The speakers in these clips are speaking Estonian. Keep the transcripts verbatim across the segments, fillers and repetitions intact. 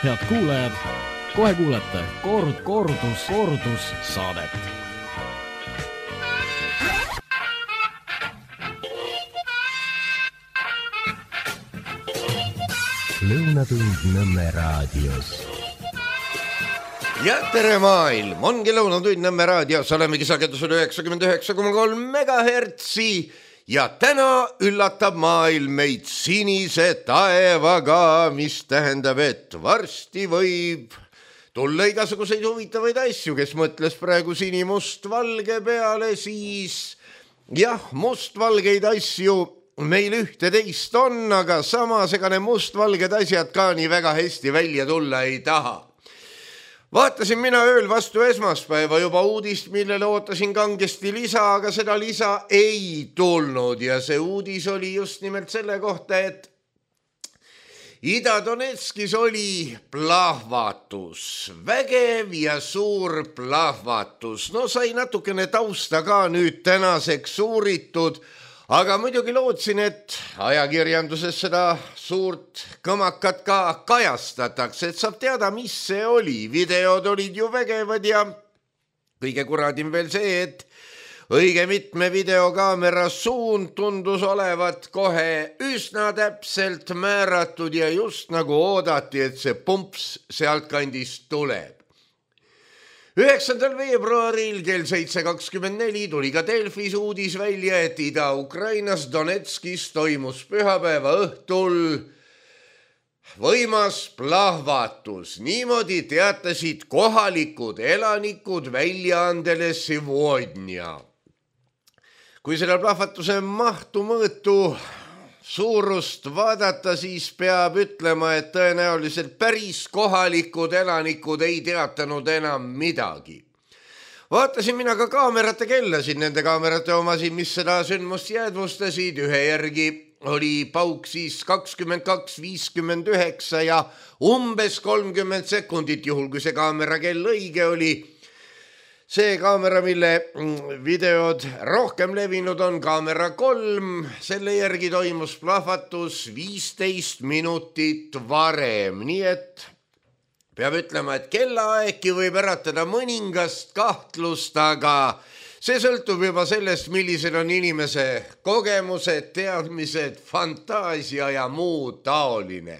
Head kuulajad, kohe kuulete kord, kordus, kordus saadet. Lõunatund Nõmme raadios. Ja tere maailm, ongi Lõunatund Nõmme raadios, olemegi sagedusel üheksakümmend üheksa koma kolm megahertsi ja täna üllatab maailm meid sinise taevaga, mis tähendab, et varsti võib tulla igasuguseid huvitavaid asju, kes mõtles praegu sinimust-valge peale, siis jah, mustvalgeid asju meil ühte teist on, aga samas ega ne mustvalged asjad ka nii väga hästi välja tulla ei taha. Vaatasin mina ööl vastu esmaspäeva juba uudist, millele ootasin kangesti lisa, aga seda lisa ei tulnud ja see uudis oli just nimelt selle kohta, et Ida-Donetskis oli plahvatus, vägev ja suur plahvatus. No sai natukene tausta ka nüüd tänaseks uuritud, aga muidugi lootsin, et ajakirjanduses seda suurt kõmakat ka kajastatakse, et saab teada, mis see oli. Videod olid ju vägevad ja kõige kuradim veel see, et õige mitme videokaamera suund tundus olevat kohe üsna täpselt määratud ja just nagu oodati, et see pumps sealtkandist tuleb. üheksandal veebruaril kell seitse kakskümmend neli tuli ka Delfis uudis välja, et Ida-Ukrainas Donetskis toimus pühapäeva õhtul võimas plahvatus. Niimoodi teatasid kohalikud elanikud väljaandele Sivodnia. Kui selle plahvatuse mahtu mõõtu suurust vaadata, siis peab ütlema, et tõenäoliselt päris kohalikud elanikud ei teatanud enam midagi. Vaatasin mina ka kaamerate kellasid, nende kaamerate omasid, mis seda sündmust jäädvustasid. Ühe järgi oli pauk siis kakskümmend kaks viiskümmend üheksa ja umbes kolmkümmend sekundit, juhul kui see kaamera kell õige oli. See kaamera, mille videod rohkem levinud on, kaamera kolm, selle järgi toimus plahvatus viisteist minutit varem. Nii et peab ütlema, et kellaaegki võib äratada mõningast kahtlust, aga see sõltub juba sellest, millised on inimese kogemused, teadmised, fantaasia ja muu taoline.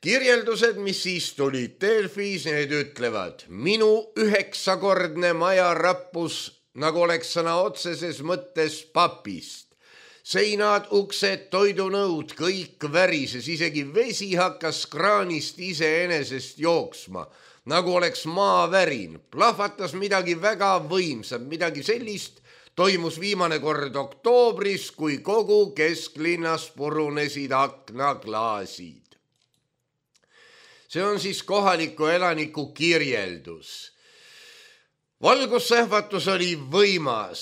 Kirjeldused, mis siis tulid Delfis, need ütlevad, minu üheksakordne maja rappus, nagu oleks sõna otseses mõttes papist. Seinad, uksed, toidunõud, kõik värises, isegi vesi hakkas kraanist iseenesest jooksma, nagu oleks maavärin. Plahvatas midagi väga võimsat, midagi sellist toimus viimane kord oktoobris, kui kogu kesklinnas purunesid aknaklaasid. See on siis kohaliku elaniku kirjeldus. Valgussähvatus oli võimas.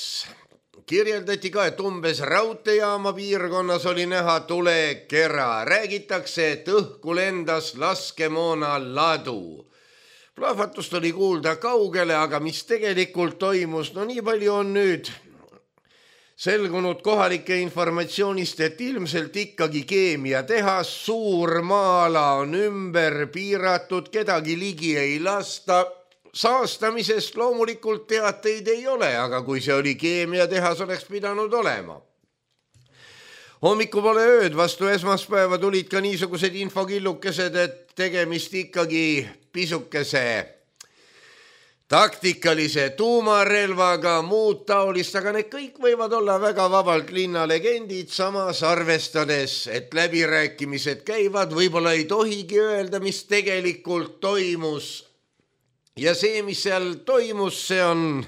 Kirjeldati ka, et umbes raudteejaama piirkonnas oli näha tulekera. Räägitakse, et õhku lendas laskemoona ladu. Plahvatust oli kuulda kaugele, aga mis tegelikult toimus, no nii palju on nüüd selgunud kohalike informatsioonist, et ilmselt ikkagi keemiatehas, suur maa-ala on ümber piiratud, kedagi ligi ei lasta. Saastamisest loomulikult teateid ei ole, aga kui see oli keemiatehas, oleks pidanud olema. Hommiku pole ööd, vastu esmaspäeva tulid ka niisugused infokillukesed, et tegemist ikkagi pisukese taktikalise tuumarelvaga, muud taolist, aga need kõik võivad olla väga vabalt linnalegendid, samas arvestades, et läbirääkimised käivad, võib-olla ei tohigi öelda, mis tegelikult toimus. Ja see, mis seal toimus, see on,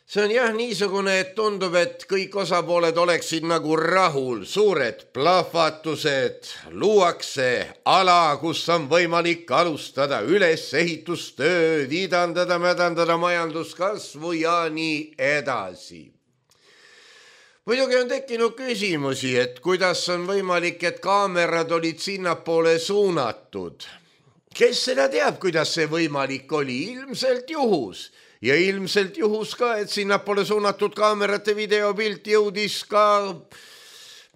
see on jah niisugune, et tundub, et kõik osapooled oleksid nagu rahul. Suured plahvatused, luuakse ala, kus on võimalik alustada ülesehitustööd, idandada, mädandada majanduskasvu ja nii edasi. Muidugi on tekkinud küsimusi, et kuidas on võimalik, et kaamerad olid sinnapoole suunatud. Kes seda teab, kuidas see võimalik oli? Ilmselt juhus. Ja ilmselt juhus ka, et sinnapoole suunatud kaamerate videopilt jõudis ka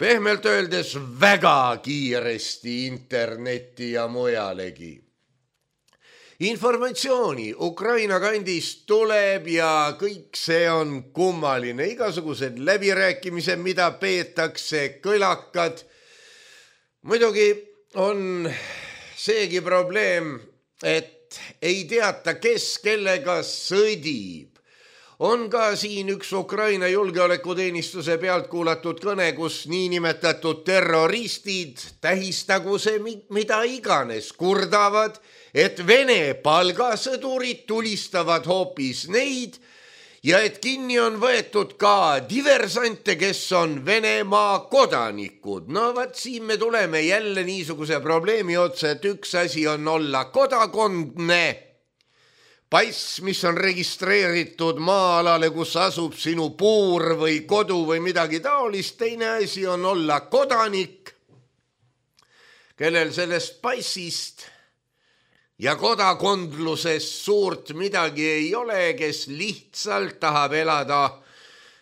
pehmelt öeldes väga kiiresti internetti ja mujalegi. Informatsiooni Ukraina kandist tuleb ja kõik see on kummaline. Igasugused läbirääkimised, mida peetakse, kõlakad. Muidugi on seegi probleem, et ei teata, kes kellega sõdib. On ka siin üks Ukraina julgeolekuteenistuse pealt kuulatud kõne, kus niinimetatud terroristid, tähistagu see mida iganes, kurdavad, et Vene palgasõdurid tulistavad hoopis neid ja et kinni on võetud ka diversante, kes on Venemaa kodanikud. No vaat siin me tuleme jälle niisuguse probleemi otsa, et üks asi on olla kodakondne, pass, mis on registreeritud maa-alale, kus asub sinu puur või kodu või midagi taolist. Teine asi on olla kodanik, kellel sellest passist ja kodakondlusest suurt midagi ei ole, kes lihtsalt tahab elada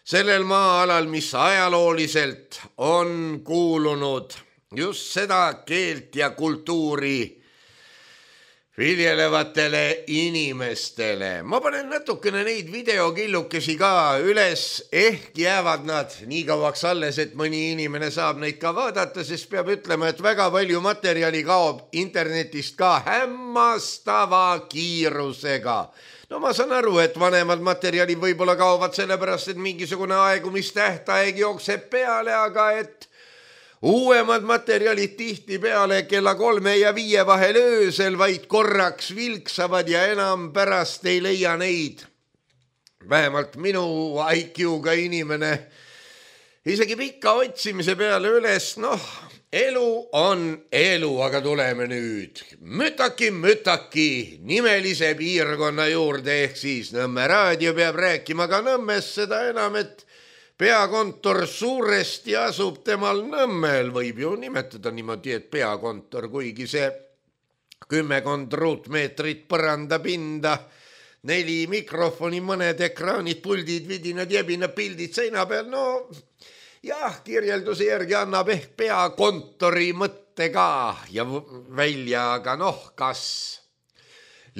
sellel maa-alal, mis ajalooliselt on kuulunud just seda keelt ja kultuuri viljelevatele inimestele. Ma panen natukene neid videokillukesi ka üles, ehk jäävad nad nii kauaks alles, et mõni inimene saab neid ka vaadata, sest peab ütlema, et väga palju materjali kaob internetist ka hämmastava kiirusega. No ma saan aru, et vanemad materjalid võib-olla kaovad sellepärast, et mingisugune aegumistähtaeg jookseb peale, aga et uuemad materjalid tihti peale kella kolme ja viie vahel öösel vaid korraks vilksavad ja enam pärast ei leia neid. Vähemalt minu I Q-ga inimene isegi pika otsimise peale üles, noh, elu on elu, aga tuleme nüüd mütaki, mütaki nimelise piirkonna juurde, ehk siis Nõmme raadio peab rääkima ka Nõmmest, seda enam, et peakontor suuresti asub temal Nõmmel, võib ju nimetada niimoodi, et peakontor, kuigi see kümmekond ruutmeetrit põrandapinda, neli mikrofoni, mõned ekraanid, puldid, vidinad, jebinad, pildid seina peal, no jah, kirjelduse järgi annab ehk peakontori mõtte ka ja välja, aga noh, kas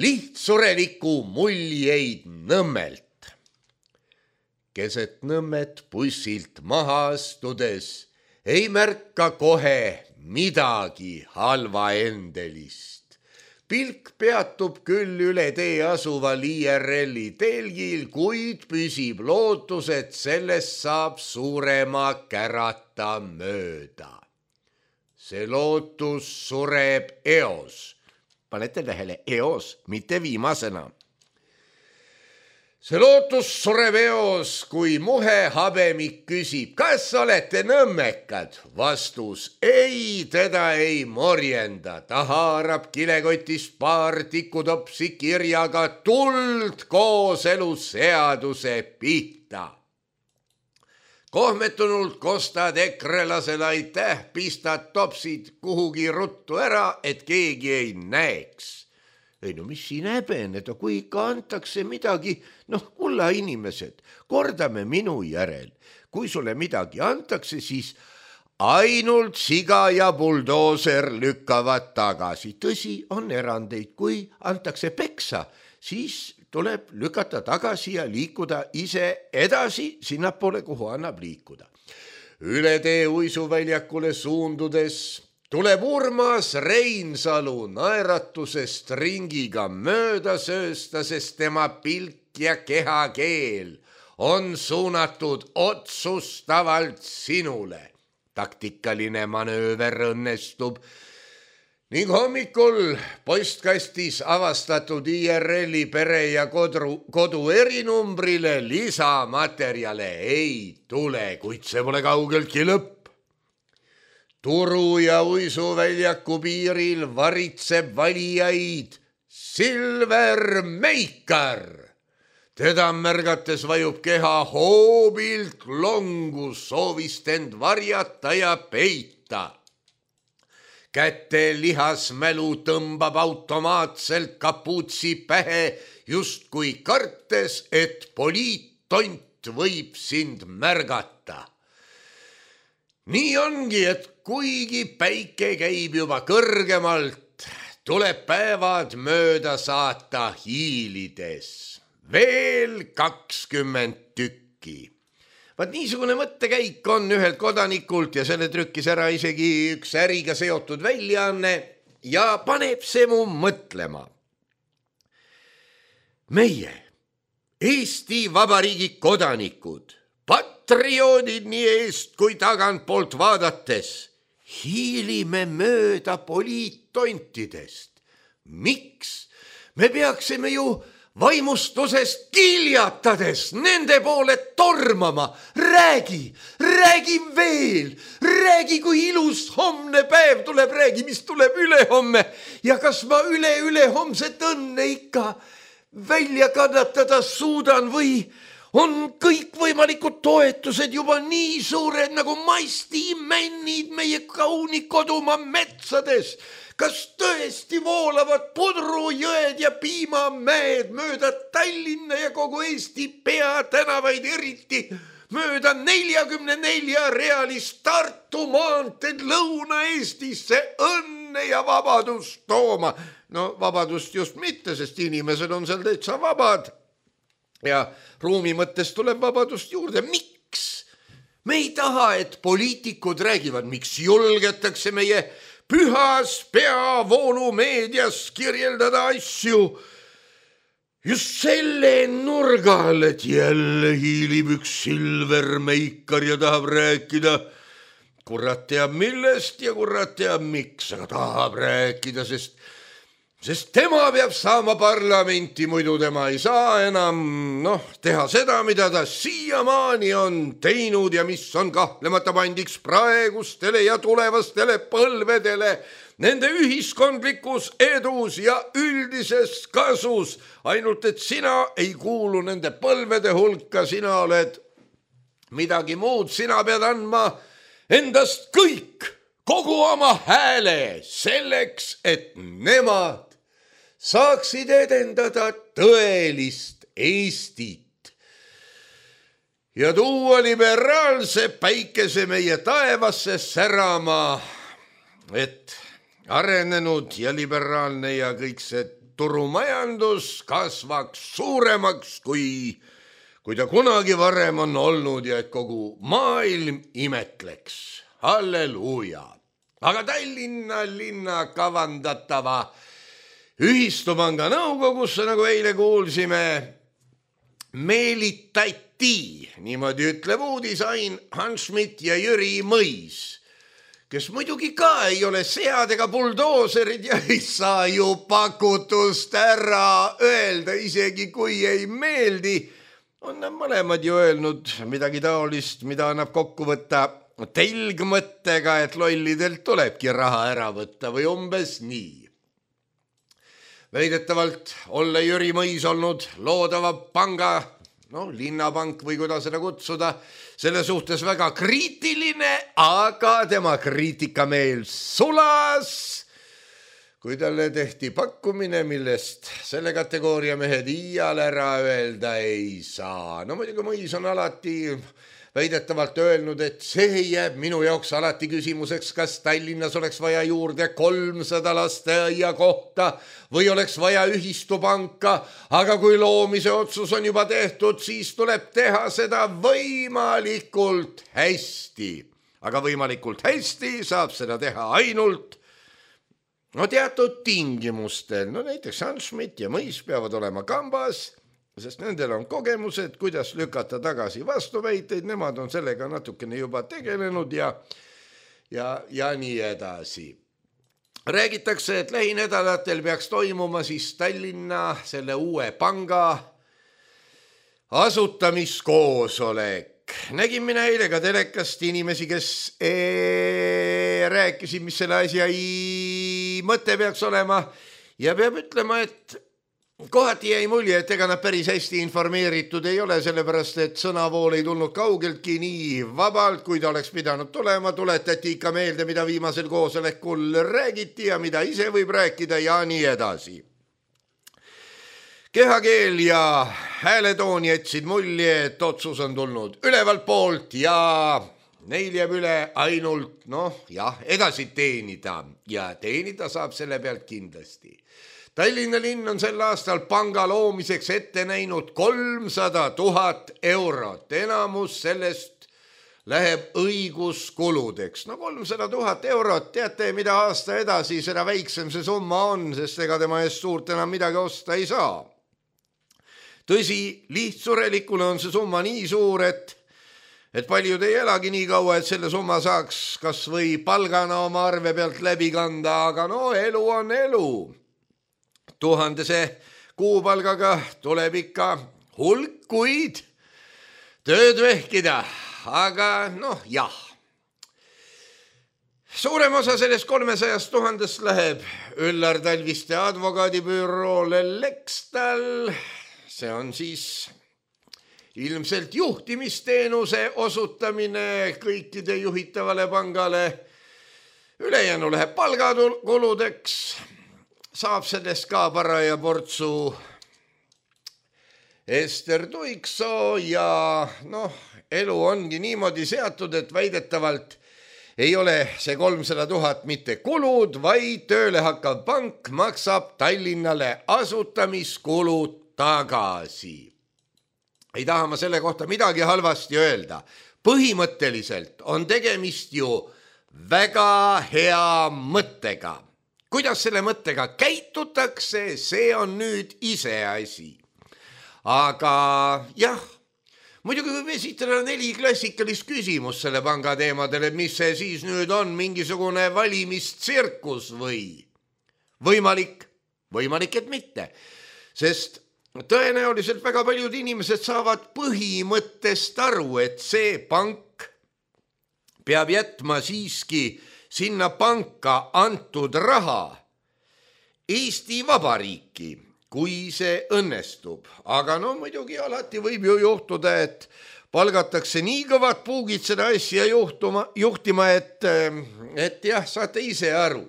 lihtsureliku muljeid Nõmmelt. Keset Nõmmet bussilt maha astudes ei märka kohe midagi halva endelist. Pilk peatub küll üle tee asuval I R L-i telgil, kuid püsib lootus, et sellest saab suurema kärata mööda. See lootus sureb eos. Panete tähele, eos, mitte viimasena. See lootus sureb eos, kui muhe habemik küsib, kas olete nõmmekad? Vastus ei, teda ei morjenda. Ta haarab kilekotist paar tikutopsi kirjaga tuld kooseluseaduse pihta. Kohmetunult kostad ekrelasele aitäh, pistad topsid kuhugi ruttu ära, et keegi ei näeks. Ei no mis siin häbeneda, kui ikka antakse midagi, noh, kulla inimesed, kordame minu järel. Kui sulle midagi antakse, siis ainult siga ja buldooser lükkavad tagasi. Tõsi, on erandeid, kui antakse peksa, siis tuleb lükata tagasi ja liikuda ise edasi sinnapoole, kuhu annab liikuda. Üle tee uisuväljakule suundudes tuleb Urmas Reinsalu naeratusest ringiga mööda söösta, sest tema pilk ja kehakeel on suunatud otsustavalt sinule. Taktikaline manööver õnnestub ning hommikul postkastis avastatud I R L-i pere ja kodu, kodu erinumbrile lisamaterjale ei tule, kuid see pole kaugeltki lõpp. Turu ja uisuväljaku piiril varitseb valijaid Silver Meikar. Teda märgates vajub keha hoobilt longu, soovist end varjata ja peita. Käte lihasmälu tõmbab automaatselt kapuutsi pähe, justkui kartes, et poliittont võib sind märgata. nii ongi, et kuigi päike käib juba kõrgemalt, tuleb päevad mööda saata hiilides. Veel kakskümmend tükki. Vaat niisugune mõttekäik on ühelt kodanikult ja selle trükkis ära isegi üks äriga seotud väljaanne ja paneb see mu mõtlema. Meie, Eesti Vabariigi kodanikud, patrioodid nii eest kui tagantpoolt vaadates, hiilime mööda poliittontidest. Miks? Me peaksime ju vaimustusest kiljatades nende poole tormama. Räägi, räägi veel, räägi, kui ilus homne päev tuleb, räägi, mis tuleb ülehomme ja kas ma üle-ülehomset õnne ikka välja kannatada suudan või on kõikvõimalikud toetused juba nii suured nagu maistimännid meie kauni kodumaa metsades. Kas tõesti voolavad pudrujõed ja piimamäed mööda Tallinna ja kogu Eesti peatänavaid, eriti mööda neljakümne nelja realist Tartu maanteed Lõuna-Eestisse õnne ja vabadust tooma? No vabadust just mitte, sest inimesed on seal täitsa vabad ja ruumi mõttes tuleb vabadust juurde. Miks? Me ei taha, et poliitikud räägivad, miks julgetakse meie pühas peavoolumeedias kirjeldada asju just selle nurga all, et jälle hiilib üks silvermeikar ja tahab rääkida kurat teab millest ja kurat teab miks, aga tahab rääkida, sest sest tema peab saama parlamenti, muidu tema ei saa enam noh, teha seda, mida ta siiamaani on teinud ja mis on kahtlemata pandiks praegustele ja tulevastele põlvedele nende ühiskondlikus edus ja üldises kasus. Ainult, et sina ei kuulu nende põlvede hulka, sina oled midagi muud, sina pead andma endast kõik, kogu oma hääle selleks, et nemad saaksid edendada tõelist Eestit ja tuua liberaalse päikese meie taevasse särama, et arenenud ja liberaalne ja kõik see turumajandus kasvaks suuremaks, kui, kui ta kunagi varem on olnud ja et kogu maailm imetleks. Halleluuja! Aga Tallinna linna kavandatava ühistupanga nõukogusse, nagu eile kuulsime, meelitati, niimoodi ütleb uudisain, Hans Schmidt ja Jüri Mõis, kes muidugi ka ei ole sead ega buldooserid ja ei saa ju pakutust ära öelda, isegi kui ei meeldi. On nad mõlemad ju öelnud midagi taolist, mida annab kokku võtta telgmõttega, et lollidelt tulebki raha ära võtta või umbes nii. Väidetavalt olla Jüri Mõis olnud loodava panga, no linnapank või kuidas seda kutsuda, selle suhtes väga kriitiline, aga tema kriitikameel sulas, kui talle tehti pakkumine, millest selle kategooria mehed iial ära öelda ei saa. No muidugi Mõis on alati väidetavalt öelnud, et see jääb minu jaoks alati küsimuseks, kas Tallinnas oleks vaja juurde kolmsada lasteaia kohta või oleks vaja ühistupanka, aga kui loomise otsus on juba tehtud, siis tuleb teha seda võimalikult hästi. Aga võimalikult hästi saab seda teha ainult no teatud tingimustel. No näiteks Hans Schmidt ja Mõis peavad olema kambas, sest nendel on kogemused, kuidas lükata tagasi vastuväiteid, nemad on sellega natukene juba tegelenud ja, ja, ja nii edasi. Räägitakse, et lähinädalatel peaks toimuma siis Tallinna selle uue panga asutamiskoosolek. Nägin mina eile ka telekast inimesi, kes ee, rääkisid, mis selle asja mõte peaks olema ja peab ütlema, et kohati jäi mulje, et ega nad päris hästi informeeritud ei ole, sellepärast et sõnavool ei tulnud kaugeltki nii vabalt, kui ta oleks pidanud tulema. Tuletati ikka meelde, mida viimasel koosolekul räägiti ja mida ise võib rääkida ja nii edasi. Kehakeel ja hääletoon jätsid mulje, et otsus on tulnud ülevalt poolt ja neil jääb üle ainult, noh jah, edasi teenida ja teenida saab selle pealt kindlasti. Tallinna linn on sel aastal panga loomiseks ette näinud kolmsada tuhat eurot, enamus sellest läheb õiguskuludeks. No kolmsada tuhat eurot, teate, mida aasta edasi, seda väiksem see summa on, sest ega tema eest suurt enam midagi osta ei saa. Tõsi, lihtsurelikule on see summa nii suur, et, et paljud ei elagi nii kaua, et selle summa saaks kas või palgana oma arve pealt läbi kanda, aga no elu on elu. Tuhandese kuupalgaga tuleb ikka hulk kuid tööd vehkida. Aga noh, jah. Suurem osa sellest kolmesajast tuhandest läheb Üllar Talviste advokaadibüroole Lextal. See on siis ilmselt juhtimisteenuse osutamine kõikide juhitavale pangale. Ülejäänu läheb palgakuludeks. Saab sellest ka paraja portsu Ester Tuiksoo ja noh, elu ongi niimoodi seatud, et väidetavalt ei ole see kolmsada tuhat mitte kulud, vaid tööle hakkav pank maksab Tallinnale asutamiskulud tagasi. Ei taha ma selle kohta midagi halvasti öelda. Põhimõtteliselt on tegemist ju väga hea mõttega. Kuidas selle mõttega käitutakse, see on nüüd iseasi. Aga jah, muidugi võib esitada neli klassikalist küsimus selle panga teemadele, mis see siis nüüd on, mingisugune valimistsirkus või? Võimalik, võimalik, et mitte, sest tõenäoliselt väga paljud inimesed saavad põhimõttest aru, et see pank peab jätma siiski sinna panka antud raha Eesti Vabariiki, kui see õnnestub. Aga no muidugi alati võib ju juhtuda, et palgatakse nii kõvad puugid seda asja juhtuma, juhtima, et, et jah, saate ise aru.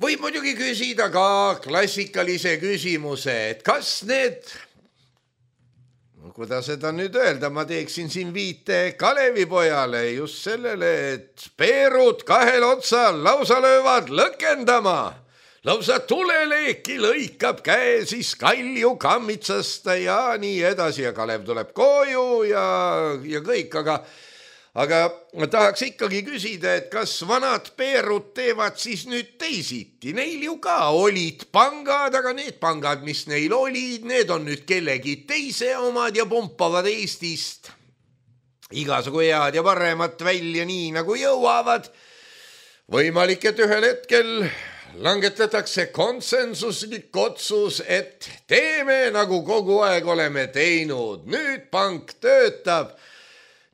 Võib muidugi küsida ka klassikalise küsimuse, et kas need, no kuidas seda nüüd öelda, ma teeksin siin viite Kalevipojale just sellele, et peerud kahel otsal lausa löövad lõkendama. Lausa tuleleeki lõikab käe siis kalju kammitsasta ja nii edasi ja Kalev tuleb koju ja, ja kõik, aga, aga tahaks ikkagi küsida, et kas vanad peerud teevad siis nüüd teisiti. Neil ju ka olid pangad, aga need pangad, mis neil olid, need on nüüd kellegi teise omad ja pumpavad Eestist igasugu head ja paremat välja nii nagu jõuavad. Võimalik, et ühel hetkel langetatakse konsensuslik otsus, et teeme nagu kogu aeg oleme teinud. Nüüd pank töötab.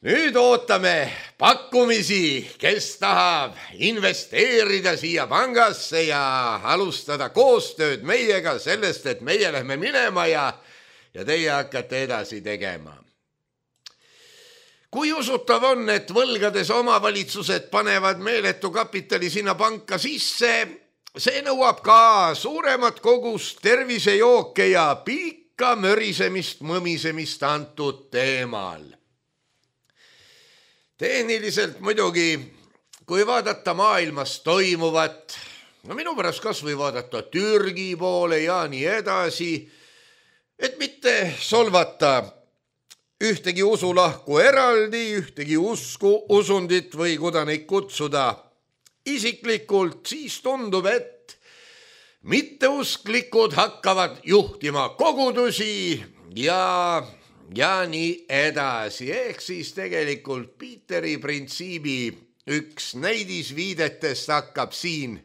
Nüüd ootame pakkumisi, kes tahab investeerida siia pangasse ja alustada koostööd meiega sellest, et meie lähme minema ja, ja teie hakkate edasi tegema. Kui usutav on, et võlgades omavalitsused panevad meeletu kapitali sinna panka sisse, see nõuab ka suuremat kogust tervisejooke ja pikka mörisemist, mõmisemist antud teemal. Tehniliselt muidugi, kui vaadata maailmas toimuvat, no minu pärast kas või vaadata Türgi poole ja nii edasi, et mitte solvata ühtegi usulahku eraldi, ühtegi usku, usundit või kuda neid kutsuda isiklikult, siis tundub, et mitteusklikud hakkavad juhtima kogudusi ja, ja nii edasi. Ehk siis tegelikult Peteri printsiibi üks näidisviidetest hakkab siin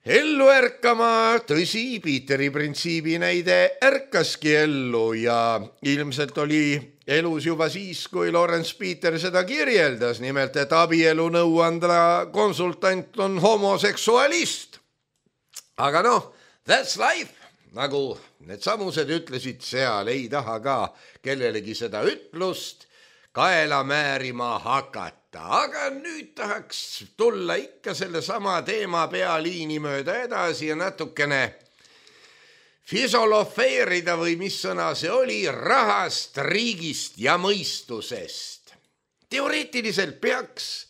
ellu ärkama. Tõsi, Peteri printsiibi näide ärkaski ellu ja ilmselt oli elus juba siis, kui Lawrence Peter seda kirjeldas, nimelt, et abielu nõuandla konsultant on homoseksualist. Aga noh, that's life, nagu need samused ütlesid seal, ei taha ka kellelegi seda ütlust kaela määrima hakata. Aga nüüd tahaks tulla ikka selle sama teema pealiini mööda edasi ja natukene fisolofeerida või mis sõna see oli, rahast, riigist ja mõistusest. teoreetiliselt peaks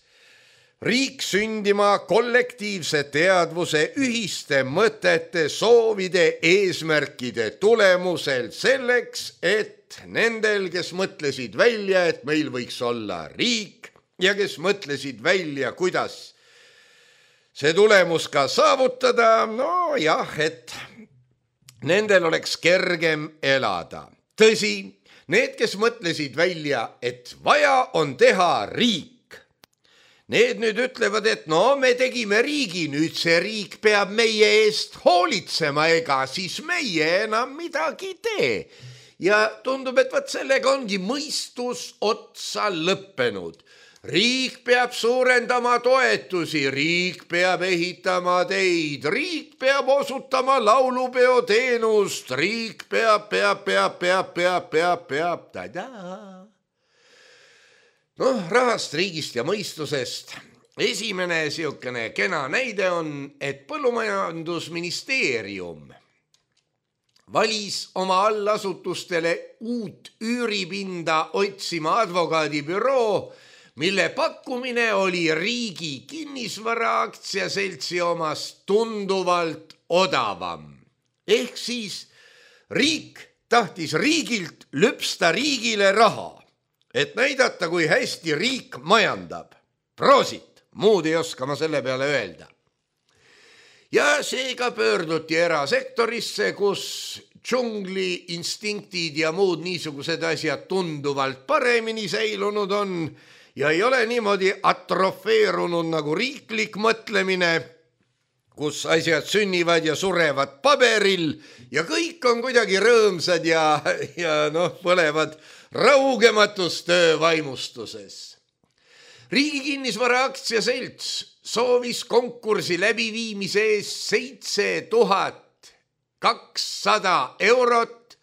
riik sündima kollektiivse teadvuse, ühiste mõtete, soovide, eesmärkide tulemusel selleks, et nendel, kes mõtlesid välja, et meil võiks olla riik ja kes mõtlesid välja, kuidas see tulemus ka saavutada, no jah, et nendel oleks kergem elada. Tõsi, need, kes mõtlesid välja, et vaja on teha riik, need nüüd ütlevad, et no me tegime riigi, nüüd see riik peab meie eest hoolitsema, ega siis meie enam midagi tee. Ja tundub, et võt sellega ongi mõistus otsa lõppenud. Riik peab suurendama toetusi, riik peab ehitama teid, riik peab osutama laulupeo teenust, riik peab, peab, peab, peab, peab, peab, peab, tada. Noh, rahast, riigist ja mõistusest. Esimene siukene kena näide on, et Põllumajandusministeerium valis oma allasutustele uut üüripinda otsima advokaadibüroo, mille pakkumine oli riigi kinnisvara aktsiaseltsi omast tunduvalt odavam. Ehk siis riik tahtis riigilt lüpsta riigile raha, et näidata, kui hästi riik majandab. Proosit, muud ei oska ma selle peale öelda. Ja seega pöörduti erasektorisse, kus džungli instinktid ja muud niisugused asjad tunduvalt paremini säilunud on ja ei ole niimoodi atrofeerunud nagu riiklik mõtlemine, kus asjad sünnivad ja surevad paberil ja kõik on kuidagi rõõmsad ja, ja noh, põlevad raugematus töövaimustuses. Riigi kinnisvara aktsiaselts soovis konkursi läbiviimise eest seitse tuhat kakssada eurot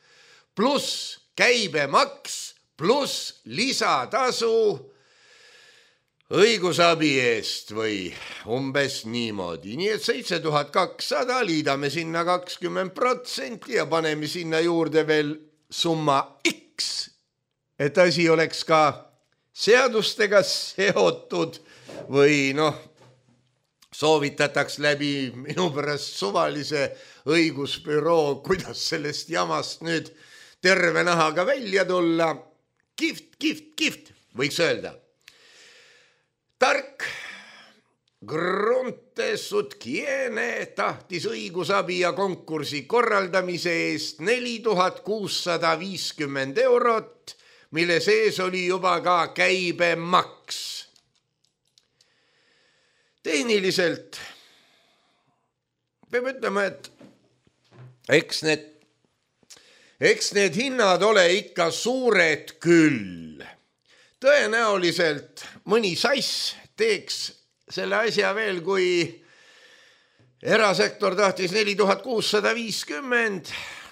pluss käibemaks pluss lisatasu õigusabi eest või umbes niimoodi. Nii et seitse tuhat kakssada, liidame sinna kakskümmend protsenti ja paneme sinna juurde veel summa X, et asi oleks ka seadustega seotud või noh, soovitataks läbi minu pärast suvalise õigusbüroo, kuidas sellest jamast nüüd terve nahaga välja tulla. Kihvt, kihvt, kihvt, võiks öelda. Tark Gruntesutkiene tahtis õigusabi ja konkursi korraldamise eest neli tuhat kuussada viiskümmend eurot, mille sees oli juba ka käibemaks. Tehniliselt peab ütlema, et eks need, eks need hinnad ole ikka suured küll. Tõenäoliselt mõni sass teeks selle asja veel, kui erasektor tahtis neli tuhat kuussada viiskümmend,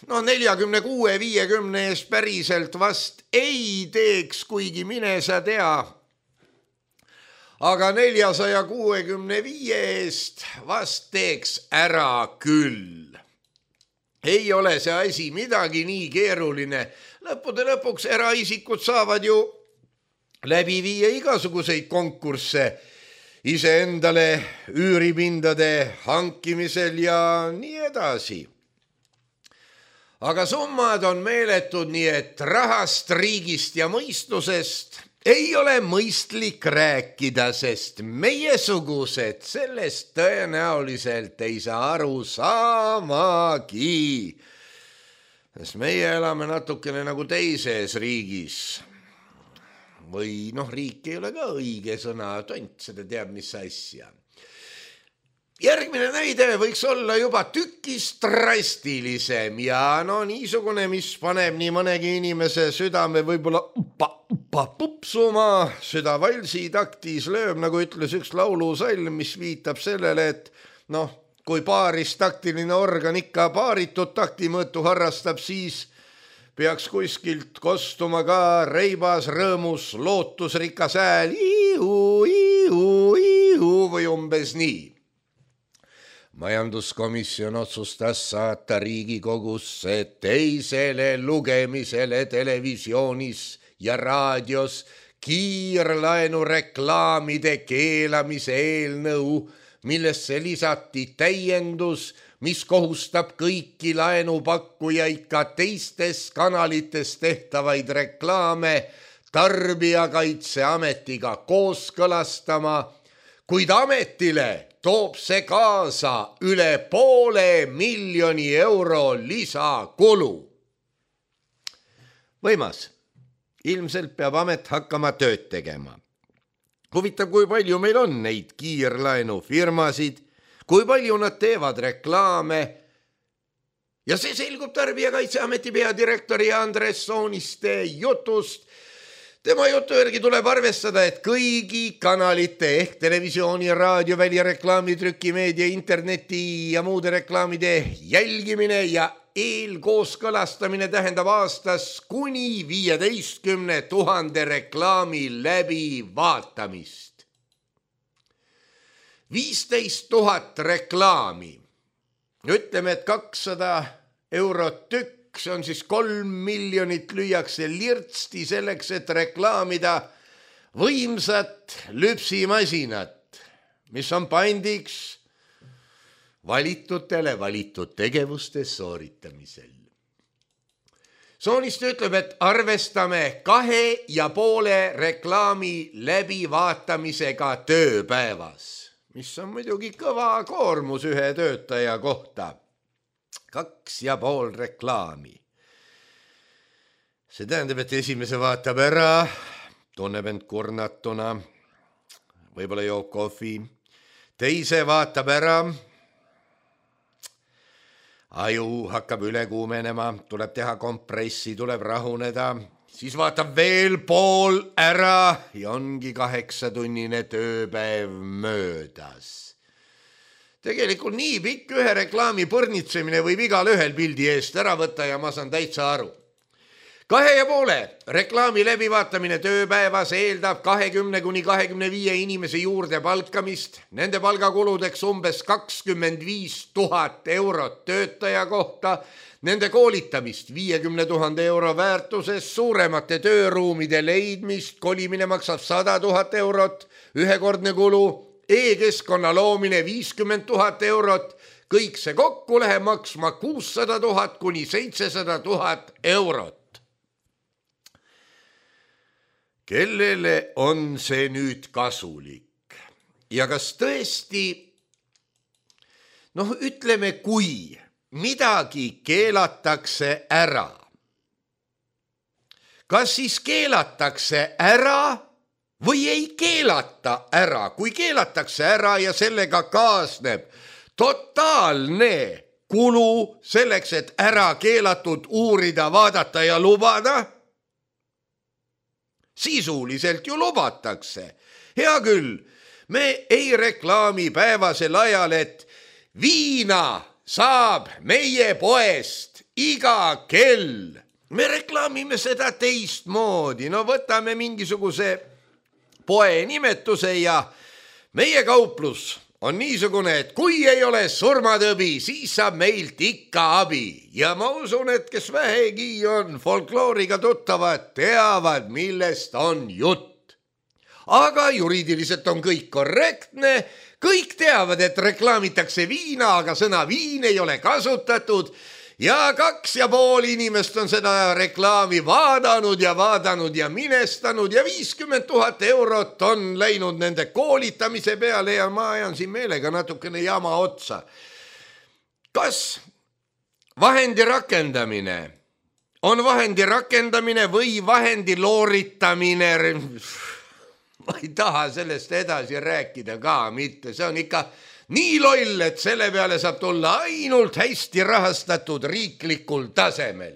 no neljakümne kuue viiekümne eest päriselt vast ei teeks, kuigi mine sa tea. Aga neljasaja kuuekümne viie eest vast teeks ära küll. Ei ole see asi midagi nii keeruline. Lõppude lõpuks eraisikud saavad ju läbi viia igasuguseid konkursse iseendale üüripindade hankimisel ja nii edasi. Aga summad on meeletud, nii et rahast, riigist ja mõistusest ei ole mõistlik rääkida, sest meiesugused sellest tõenäoliselt ei saa aru saamagi. Sest meie elame natukene nagu teises riigis. Või noh, riik ei ole ka õige sõna, tont seda teab, mis asja. Järgmine näide võiks olla juba tükis drastilisem ja no niisugune, mis paneb nii mõnegi inimese südame võib-olla uppa, uppa pupsuma, süda valsi taktis lööb, nagu ütles üks laulusalm, mis viitab sellele, et noh, kui paaris taktiline organ ikka paaritud taktimõõtu harrastab, siis peaks kuskilt kostuma ka reibas, rõõmus, lootusrikas hääl ihu, ihu, ihu või umbes nii. Majanduskomisjon otsustas saata Riigikogusse teisele lugemisele televisioonis ja raadios kiirlaenureklaamide keelamise eelnõu, millesse lisati täiendus, mis kohustab kõiki laenupakkujaid ka teistes kanalites tehtavaid reklaame Tarbijakaitseametiga kooskõlastama, kuid ametile toob see kaasa üle poole miljoni euro lisakulu. Võimas, ilmselt peab amet hakkama tööd tegema. Huvitav, kui palju meil on neid kiirlaenufirmasid, kui palju nad teevad reklaame. Ja see selgub Tarbijakaitseameti peadirektori Andres Sooniste jutust. Tema jutu järgi tuleb arvestada, et kõigi kanalite ehk televisiooni, raadio, välireklaami, trükimeedia, interneti ja muude reklaamide jälgimine ja eelkooskõlastamine tähendab aastas kuni viieteistkümne tuhande reklaami läbi vaatamist. viisteist tuhat reklaami. Ütleme, et kakssada eurot tükk, see on siis kolm miljonit lüüakse lirtsti selleks, et reklaamida võimsat lüpsimasinat, mis on pandiks valitutele valitud tegevuste sooritamisel. Sooniste ütleb, et arvestame kahe ja poole reklaami läbivaatamisega tööpäevas, mis on muidugi kõva koormus ühe töötaja kohta. Kaks ja pool reklaami. See tähendab, et esimese vaatab ära, tunneb end kurnatuna, võib-olla joob kohvi, teise vaatab ära, aju hakkab üle kuumenema, tuleb teha kompressi, tuleb rahuneda, siis vaatab veel pool ära ja ongi kaheksatunnine tööpäev möödas. Tegelikult nii pikk ühe reklaami põrnitsemine võib igal ühel pildi eest ära võtta ja ma saan täitsa aru. Kahe ja poole reklaami läbivaatamine tööpäevas eeldab kahekümne kuni kahekümne viie inimese juurde palkamist, nende palgakuludeks umbes kakskümmend viis tuhat eurot töötaja kohta, nende koolitamist viiekümne tuhande euro väärtuses, suuremate tööruumide leidmist, kolimine maksab sada tuhat eurot, ühekordne kulu, e-keskkonna loomine viiskümmend tuhat eurot, kõik see kokku läheb maksma kuussada tuhat kuni seitsesada tuhat eurot. Kellele on see nüüd kasulik? Ja kas tõesti, noh ütleme, kui midagi keelatakse ära, kas siis keelatakse ära või ei keelata ära? Kui keelatakse ära ja sellega kaasneb totaalne kulu selleks, et ära keelatud uurida, vaadata ja lubada, sisuliselt ju lubatakse. Hea küll, me ei reklaami päevasel ajal, et viina saab meie poest iga kell. Me reklaamime seda teistmoodi. No võtame mingisuguse poe nimetuse ja meie kauplus on niisugune, et kui ei ole surmatõbi, siis saab meilt ikka abi. Ja ma usun, et kes vähegi on folklooriga tuttavad, teavad, millest on jutt. Aga juriidiliselt on kõik korrektne, kõik teavad, et reklaamitakse viina, aga sõna viin ei ole kasutatud. Ja kaks ja pool inimest on seda reklaami vaadanud ja vaadanud ja minestanud ja viiskümmend tuhat eurot on läinud nende koolitamise peale ja ma ajan siin meelega natukene jama otsa. Kas vahendi rakendamine on vahendi rakendamine või vahendi looritamine? Ma ei taha sellest edasi rääkida ka mitte, see on ikka nii loll, et selle peale saab tulla ainult hästi rahastatud riiklikul tasemel.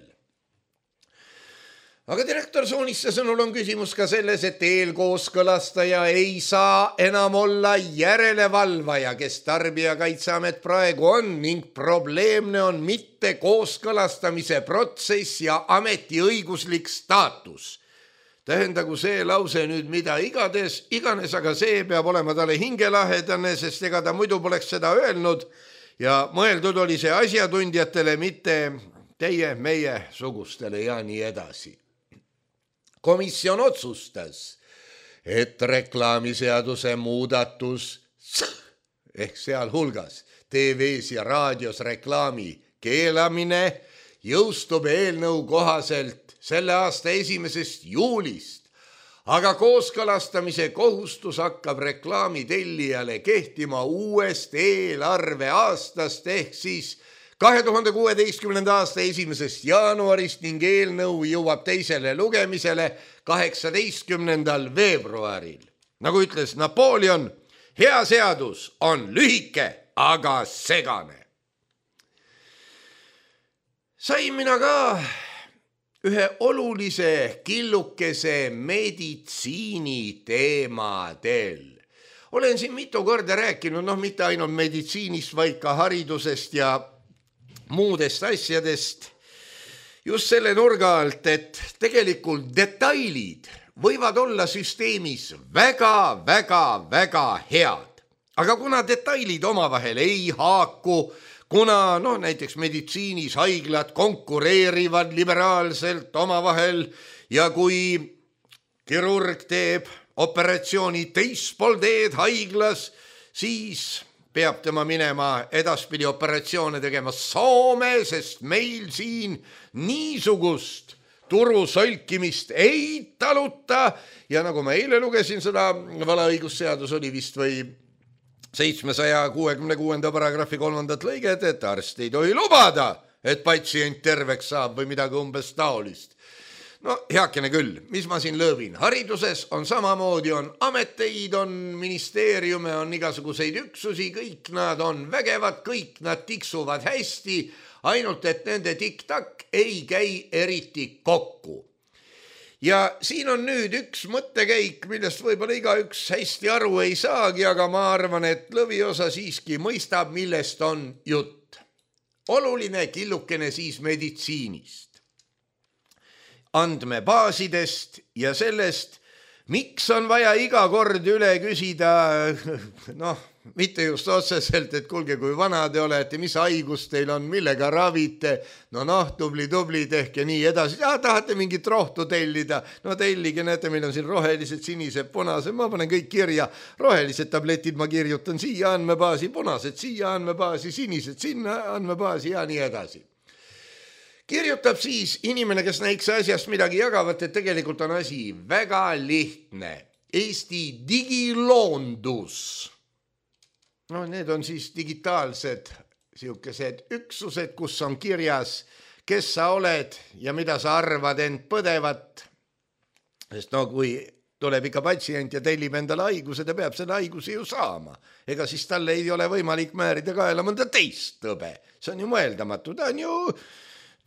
Aga direktor Sooniste sõnul on küsimus ka selles, et eelkooskõlastaja ei saa enam olla järelevalvaja, kes Tarbijakaitseamet praegu on, ning probleemne on mitte kooskõlastamise protsess ja ameti õiguslik staatus. Tähendagu see lause nüüd mida igades, iganes, aga see peab olema talle hingelahedane, sest ega ta muidu poleks seda öelnud ja mõeldud oli see asjatundjatele, mitte teie, meie sugustele ja nii edasi. Komisjon otsustas et reklaamiseaduse muudatus ehk sealhulgas T V-s ja raadios reklaami keelamine jõustub eelnõu kohaselt selle aasta esimesest juulist, aga kooskõlastamise kohustus hakkab reklaami tellijale kehtima uuest eelarveaastast ehk siis kahe tuhande kuueteistkümnenda aasta esimesest jaanuarist ning eelnõu jõuab teisele lugemisele kaheksateistkümnendal veebruaril. Nagu ütles Napoleon, hea seadus on lühike, aga segane. Sain mina ka ühe olulise killukese meditsiini teemadel. Olen siin mitu korda rääkinud, noh mitte ainult meditsiinist, vaid ka haridusest ja muudest asjadest. Just selle nurga alt, et tegelikult detailid võivad olla süsteemis väga, väga, väga head. Aga kuna detailid omavahel ei haaku, kuna no, näiteks meditsiinis haiglad konkureerivad liberaalselt omavahel ja kui kirurg teeb operatsiooni teispool teed haiglas, siis peab tema minema edaspidi operatsioone tegema Soome, sest meil siin niisugust turu solkimist ei taluta. Ja nagu ma eile lugesin seda võlaõigusseadus oli vist või seitsmesaja kuuekümne kuuenda paragrahvi kolmandat lõiget, et arst ei tohi lubada, et patsient terveks saab või midagi umbes taolist. No heakene küll, mis ma siin lõõbin? Hariduses on samamoodi, on ameteid, on ministeeriume, on igasuguseid üksusi, kõik nad on vägevad, kõik nad tiksuvad hästi, ainult et nende tiktak ei käi eriti kokku. Ja siin on nüüd üks mõttekäik, millest võib-olla igaüks hästi aru ei saagi, aga ma arvan, et lõviosa siiski mõistab, millest on jutt. Oluline killukene siis meditsiinist, andmebaasidest ja sellest, miks on vaja iga kord üle küsida, noh, mitte just otseselt, et kuulge, kui vana te olete, mis haigus teil on, millega ravite, no noh, tubli, tubli, tehke nii edasi, ja tahate mingit rohtu tellida, no tellige, näete, meil on siin rohelised, sinised, punased, ma panen kõik kirja, rohelised tabletid ma kirjutan siia andmebaasi, punased siia andmebaasi, sinised sinna andmebaasi ja nii edasi. Kirjutab siis inimene, kes näiks asjast midagi jagavat, et tegelikult on asi väga lihtne. Eesti digiloondus. No need on siis digitaalsed siukesed üksused, kus on kirjas, kes sa oled ja mida sa arvad end põdevat. Sest no kui tuleb ikka patsient ja tellib endale haiguse, ta peab selle haiguse ju saama. Ega siis talle ei ole võimalik määrida kaela mõnda teist tõbe. See on ju mõeldamatu, ta on ju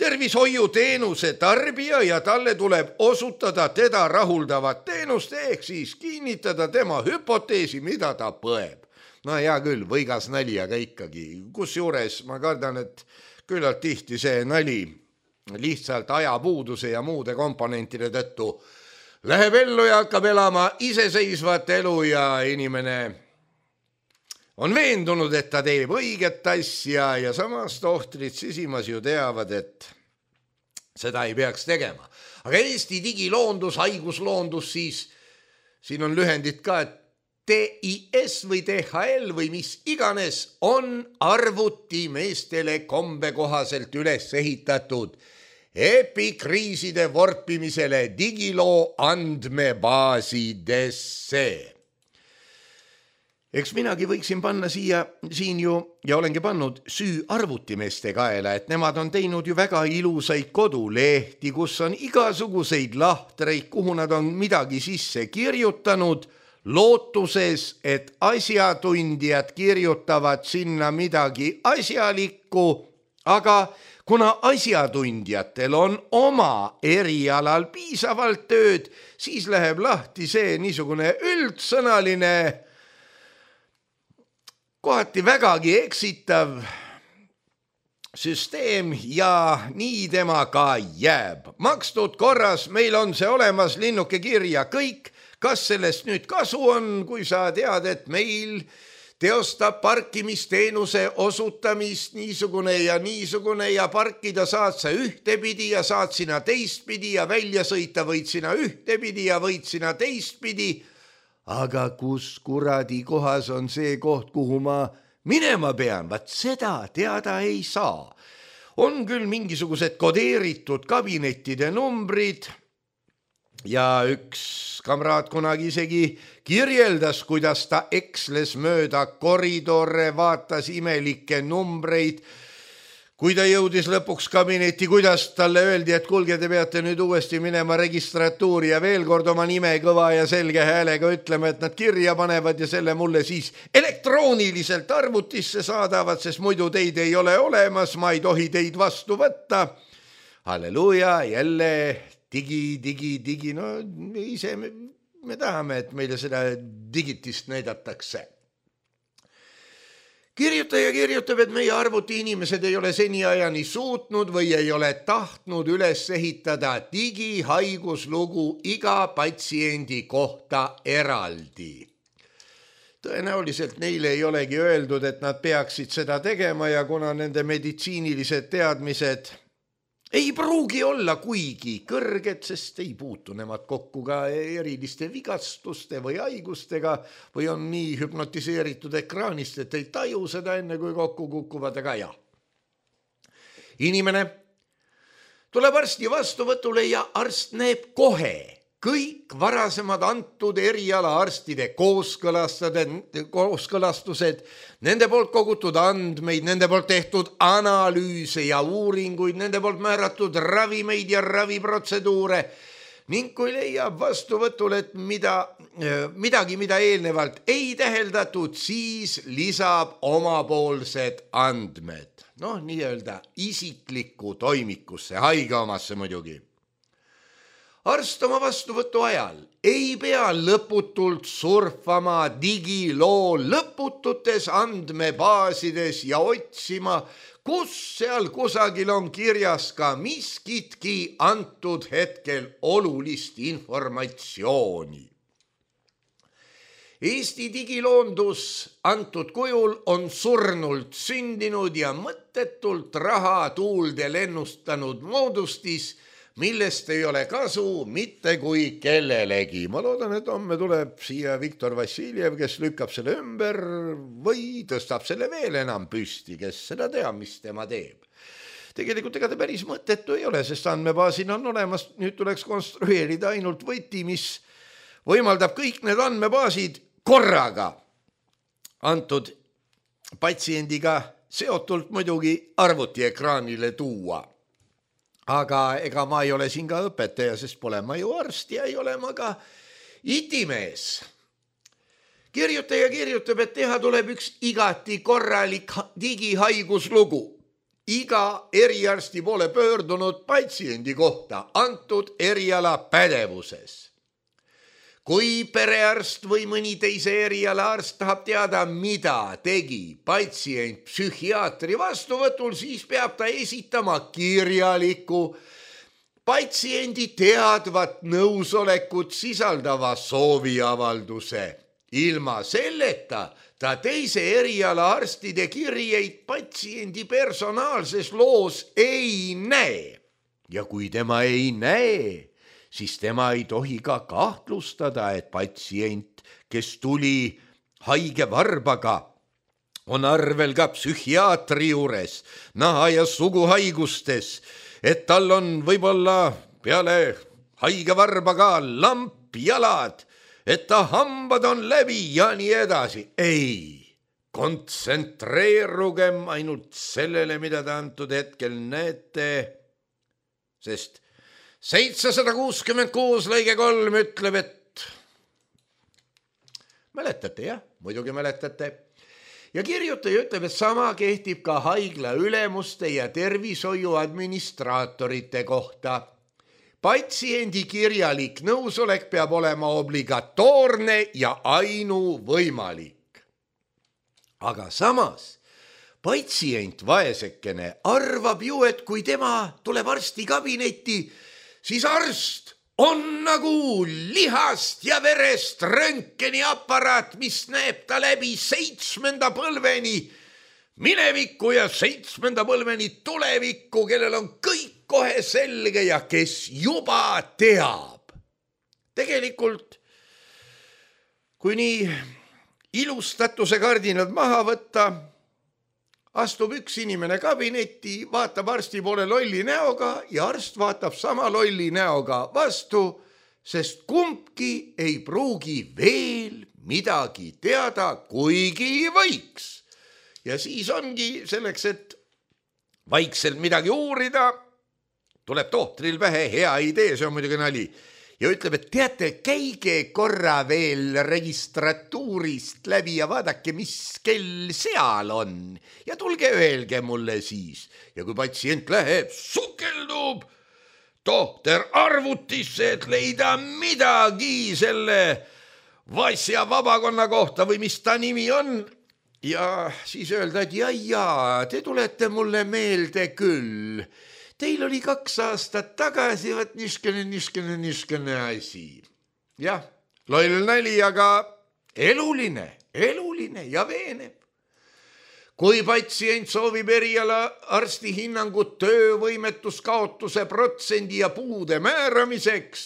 tervishoiuteenuse tarbija ja talle tuleb osutada teda rahuldavat teenust ehk siis kinnitada tema hüpoteesi, mida ta põeb. No hea küll, võigas nali, aga ikkagi. Kus juures ma kardan, et küllalt tihti see nali lihtsalt ajapuuduse ja muude komponentide tõttu läheb ellu ja hakkab elama iseseisvat elu ja inimene on veendunud, et ta teeb õiget asja ja samas tohtrid sisimas ju teavad, et seda ei peaks tegema. Aga Eesti digiloondus, haigusloondus, siis siin on lühendid ka, et T I S või T H L või mis iganes on arvutimeestele kombe kohaselt üles ehitatud epikriiside vorpimisele digiloo andmebaasidesse. Eks minagi võiksin panna siia, siin ju, ja olengi pannud süü arvutimeeste kaela, et nemad on teinud ju väga ilusaid kodulehti, kus on igasuguseid lahtreid, kuhu nad on midagi sisse kirjutanud, lootuses, et asjatundjad kirjutavad sinna midagi asjalikku, aga kuna asjatundjatel on oma erialal piisavalt tööd, siis läheb lahti see niisugune üldsõnaline, kohati vägagi eksitav süsteem ja nii tema ka jääb. Makstud korras, meil on see olemas, linnuke kirja kõik. Kas sellest nüüd kasu on, kui sa tead, et meil teostab parkimisteenuse osutamist niisugune ja niisugune ja parkida saad sa ühtepidi ja saad sina teistpidi ja välja sõita võid sina ühtepidi ja võid sina teistpidi. aga kus kuradi kohas on see koht, kuhu ma minema pean, vaat seda teada ei saa. On küll mingisugused kodeeritud kabinettide numbrid ja üks kamraad kunagi isegi kirjeldas, kuidas ta eksles mööda koridore, vaatas imelikke numbreid. Kui ta jõudis lõpuks kabinetti, kuidas talle öeldi, et kulge, te peate nüüd uuesti minema registratuuri ja veel kord oma nime kõva ja selge häälega ütlema, et nad kirja panevad ja selle mulle siis elektrooniliselt arvutisse saadavad, sest muidu teid ei ole olemas, ma ei tohi teid vastu võtta. Halleluuja, jälle digi, digi, digi, no ise me, me tahame, et meile seda digitist näidatakse. Kirjutaja kirjutab, et meie arvuti inimesed ei ole seniajani suutnud või ei ole tahtnud üles ehitada digihaiguslugu iga patsiendi kohta eraldi. Tõenäoliselt neile ei olegi öeldud, et nad peaksid seda tegema ja kuna nende meditsiinilised teadmised ei pruugi olla kuigi kõrged, sest ei puutu nemad kokku ka eriliste vigastuste või haigustega või on nii hüpnotiseeritud ekraanist, et ei taju seda enne kui kokku kukuvad, aga jah. Inimene tuleb arsti vastuvõtule ja arst näeb kohe kõik varasemad antud eriala arstide kooskõlastused, nende poolt kogutud andmeid, nende poolt tehtud analüüse ja uuringuid, nende poolt määratud ravimeid ja raviprotseduure ning kui leiab vastuvõtul, et mida, midagi, mida eelnevalt ei täheldatud, siis lisab omapoolsed andmed. Noh, nii-öelda isiklikku toimikusse, haige omasse muidugi. Arst oma vastuvõtu ajal ei pea lõputult surfama digiloo lõpututes andmebaasides ja otsima, kus seal kusagil on kirjas ka miskitki antud hetkel olulist informatsiooni. Eesti digiloondus antud kujul on surnult sündinud ja mõttetult raha tuulde lennustanud moodustis, millest ei ole kasu mitte kui kellelegi. Ma loodan, et homme tuleb siia Viktor Vassiljev, kes lükkab selle ümber või tõstab selle veel enam püsti, kes seda teab, mis tema teeb. Tegelikult ega ta päris mõttetu ei ole, sest andmebaasin on olemas, nüüd tuleks konstrueerida ainult võti, mis võimaldab kõik need andmebaasid korraga antud patsiendiga seotult muidugi arvutiekraanile tuua. Aga ega ma ei ole siin ka õpetaja, sest pole ma ju arst ja ei ole ma ka itimees. Kirjutaja kirjutab, et teha tuleb üks igati korralik digihaiguslugu. Iga eriarsti poole pöördunud patsiendi kohta antud eriala pädevuses. Kui perearst või mõni teise eriala arst tahab teada, mida tegi patsient psühhiaatri vastuvõtul, siis peab ta esitama kirjaliku patsiendi teadvat nõusolekut sisaldava sooviavalduse. Ilma selleta ta teise eriala arstide kirjeid patsiendi personaalses loos ei näe. Ja kui tema ei näe, siis tema ei tohi ka kahtlustada, et patsient, kes tuli haige varbaga, on arvel ka psühhiaatri juures, naha- ja suguhaigustes, et tal on võib-olla peale haige varbaga lamp jalad, et ta hambad on läbi ja nii edasi. Ei, kontsentreerugem ainult sellele, mida te antud hetkel näete, sest seitsesada kuuskümmend kuus lõige kolm ütleb, et mäletate, jah, muidugi mäletate. Ja kirjutaja ütleb, et sama kehtib ka haigla ülemuste ja tervishoiu administraatorite kohta. Patsiendi kirjalik nõusolek peab olema obligatoorne ja ainuvõimalik. Aga samas patsient vaesekene arvab ju, et kui tema tuleb arsti kabinetti, siis arst on nagu lihast ja verest röntgeni aparaat, mis näeb ta läbi seitsmenda põlveni minevikku ja seitsmenda põlveni tulevikku, kellel on kõik kohe selge ja kes juba teab. Tegelikult kui nii ilustatuse kardinad maha võtta, astub üks inimene kabinetti, vaatab arsti poole lolli näoga ja arst vaatab sama lolli näoga vastu, sest kumbki ei pruugi veel midagi teada, kuigi võiks. Ja siis ongi selleks, et vaikselt midagi uurida, tuleb tohtril pähe hea idee, see on muidugi nali. Ja ütleb, et teate, käige korra veel registratuurist läbi ja vaadake, mis kell seal on. Ja tulge öelge mulle siis. Ja kui patsient läheb, sukeldub tohter arvutisse, et leida midagi selle Vasja vabakonna kohta või mis ta nimi on. Ja siis öelda, et ja, ja, te tulete mulle meelde küll. Teil oli kaks aastat tagasi, võt niskene, niskene, niskene asi. Jah, loll nali, aga eluline, eluline ja veeneb. Kui patsient soovib eriala arsti hinnangut töövõimetuskaotuse protsendi ja puude määramiseks,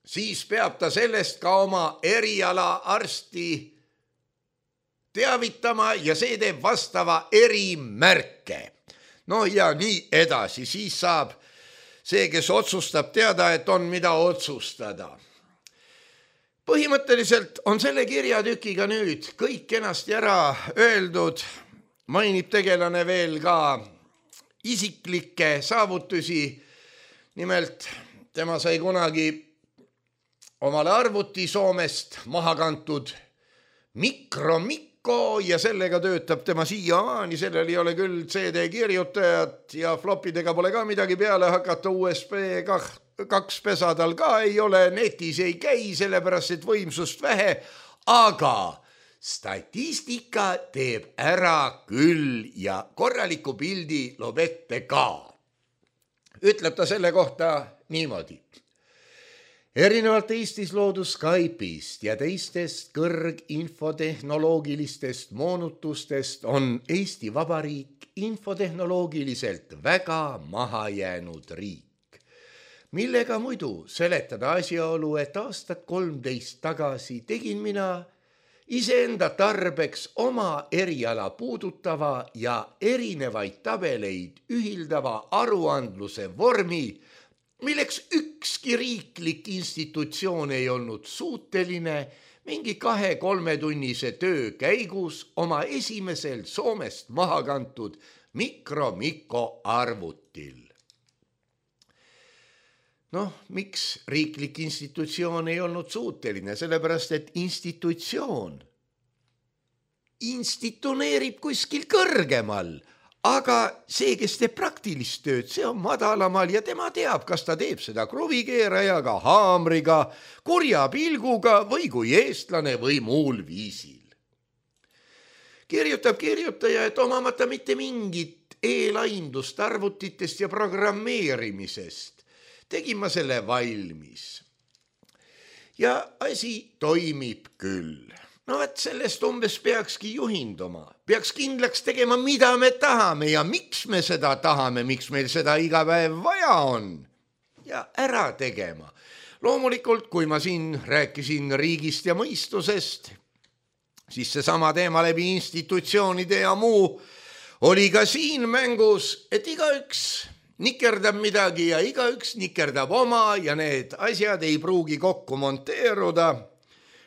siis peab ta sellest ka oma eriala arsti teavitama ja see teeb vastava erimärke. No ja nii edasi, siis saab see, kes otsustab teada, et on mida otsustada. Põhimõtteliselt on selle kirjatükiga nüüd kõik kenasti ära öeldud, mainib tegelane veel ka isiklikke saavutusi. Nimelt tema sai kunagi omale arvuti Soomest maha kantud mikromikro ja sellega töötab tema siiamaani, sellel ei ole küll C D kirjutajat ja flopidega pole ka midagi peale hakata, U S B kaks pesadal ka ei ole, netis ei käi, sellepärast et võimsust vähe, aga statistika teeb ära küll ja korraliku pildi loob ette ka. Ütleb ta selle kohta niimoodi. Erinevalt Eestis loodud Skype'ist ja teistest kõrginfotehnoloogilistest moonutustest on Eesti Vabariik infotehnoloogiliselt väga maha jäänud riik, millega muidu seletada asjaolu, et aastat kolmteist tagasi tegin mina iseenda tarbeks oma eriala puudutava ja erinevaid tabeleid ühildava aruandluse vormi, milleks ükski riiklik institutsioon ei olnud suuteline mingi kahe-kolme tunnise töö käigus oma esimesel Soomest maha kantud mikromiko arvutil. Noh, miks riiklik institutsioon ei olnud suuteline? Sellepärast, et institutsioon instituneerib kuskil kõrgemal, aga see, kes teeb praktilist tööd, see on madalamal ja tema teab, kas ta teeb seda kruvikeerajaga, haamriga, kurja pilguga või kui eestlane või muul viisil. Kirjutab kirjutaja, et omamata mitte mingit eelaindust arvutitest ja programmeerimisest, tegin ma selle valmis. Ja asi toimib küll. No et sellest umbes peakski juhinduma. Peaks kindlaks tegema, mida me tahame ja miks me seda tahame, miks meil seda iga päev vaja on. Ja ära tegema. Loomulikult, kui ma siin rääkisin riigist ja mõistusest, siis see sama teema läbi institutsioonide ja muu oli ka siin mängus, et igaüks nikerdab midagi ja igaüks nikerdab oma ja need asjad ei pruugi kokku monteeruda.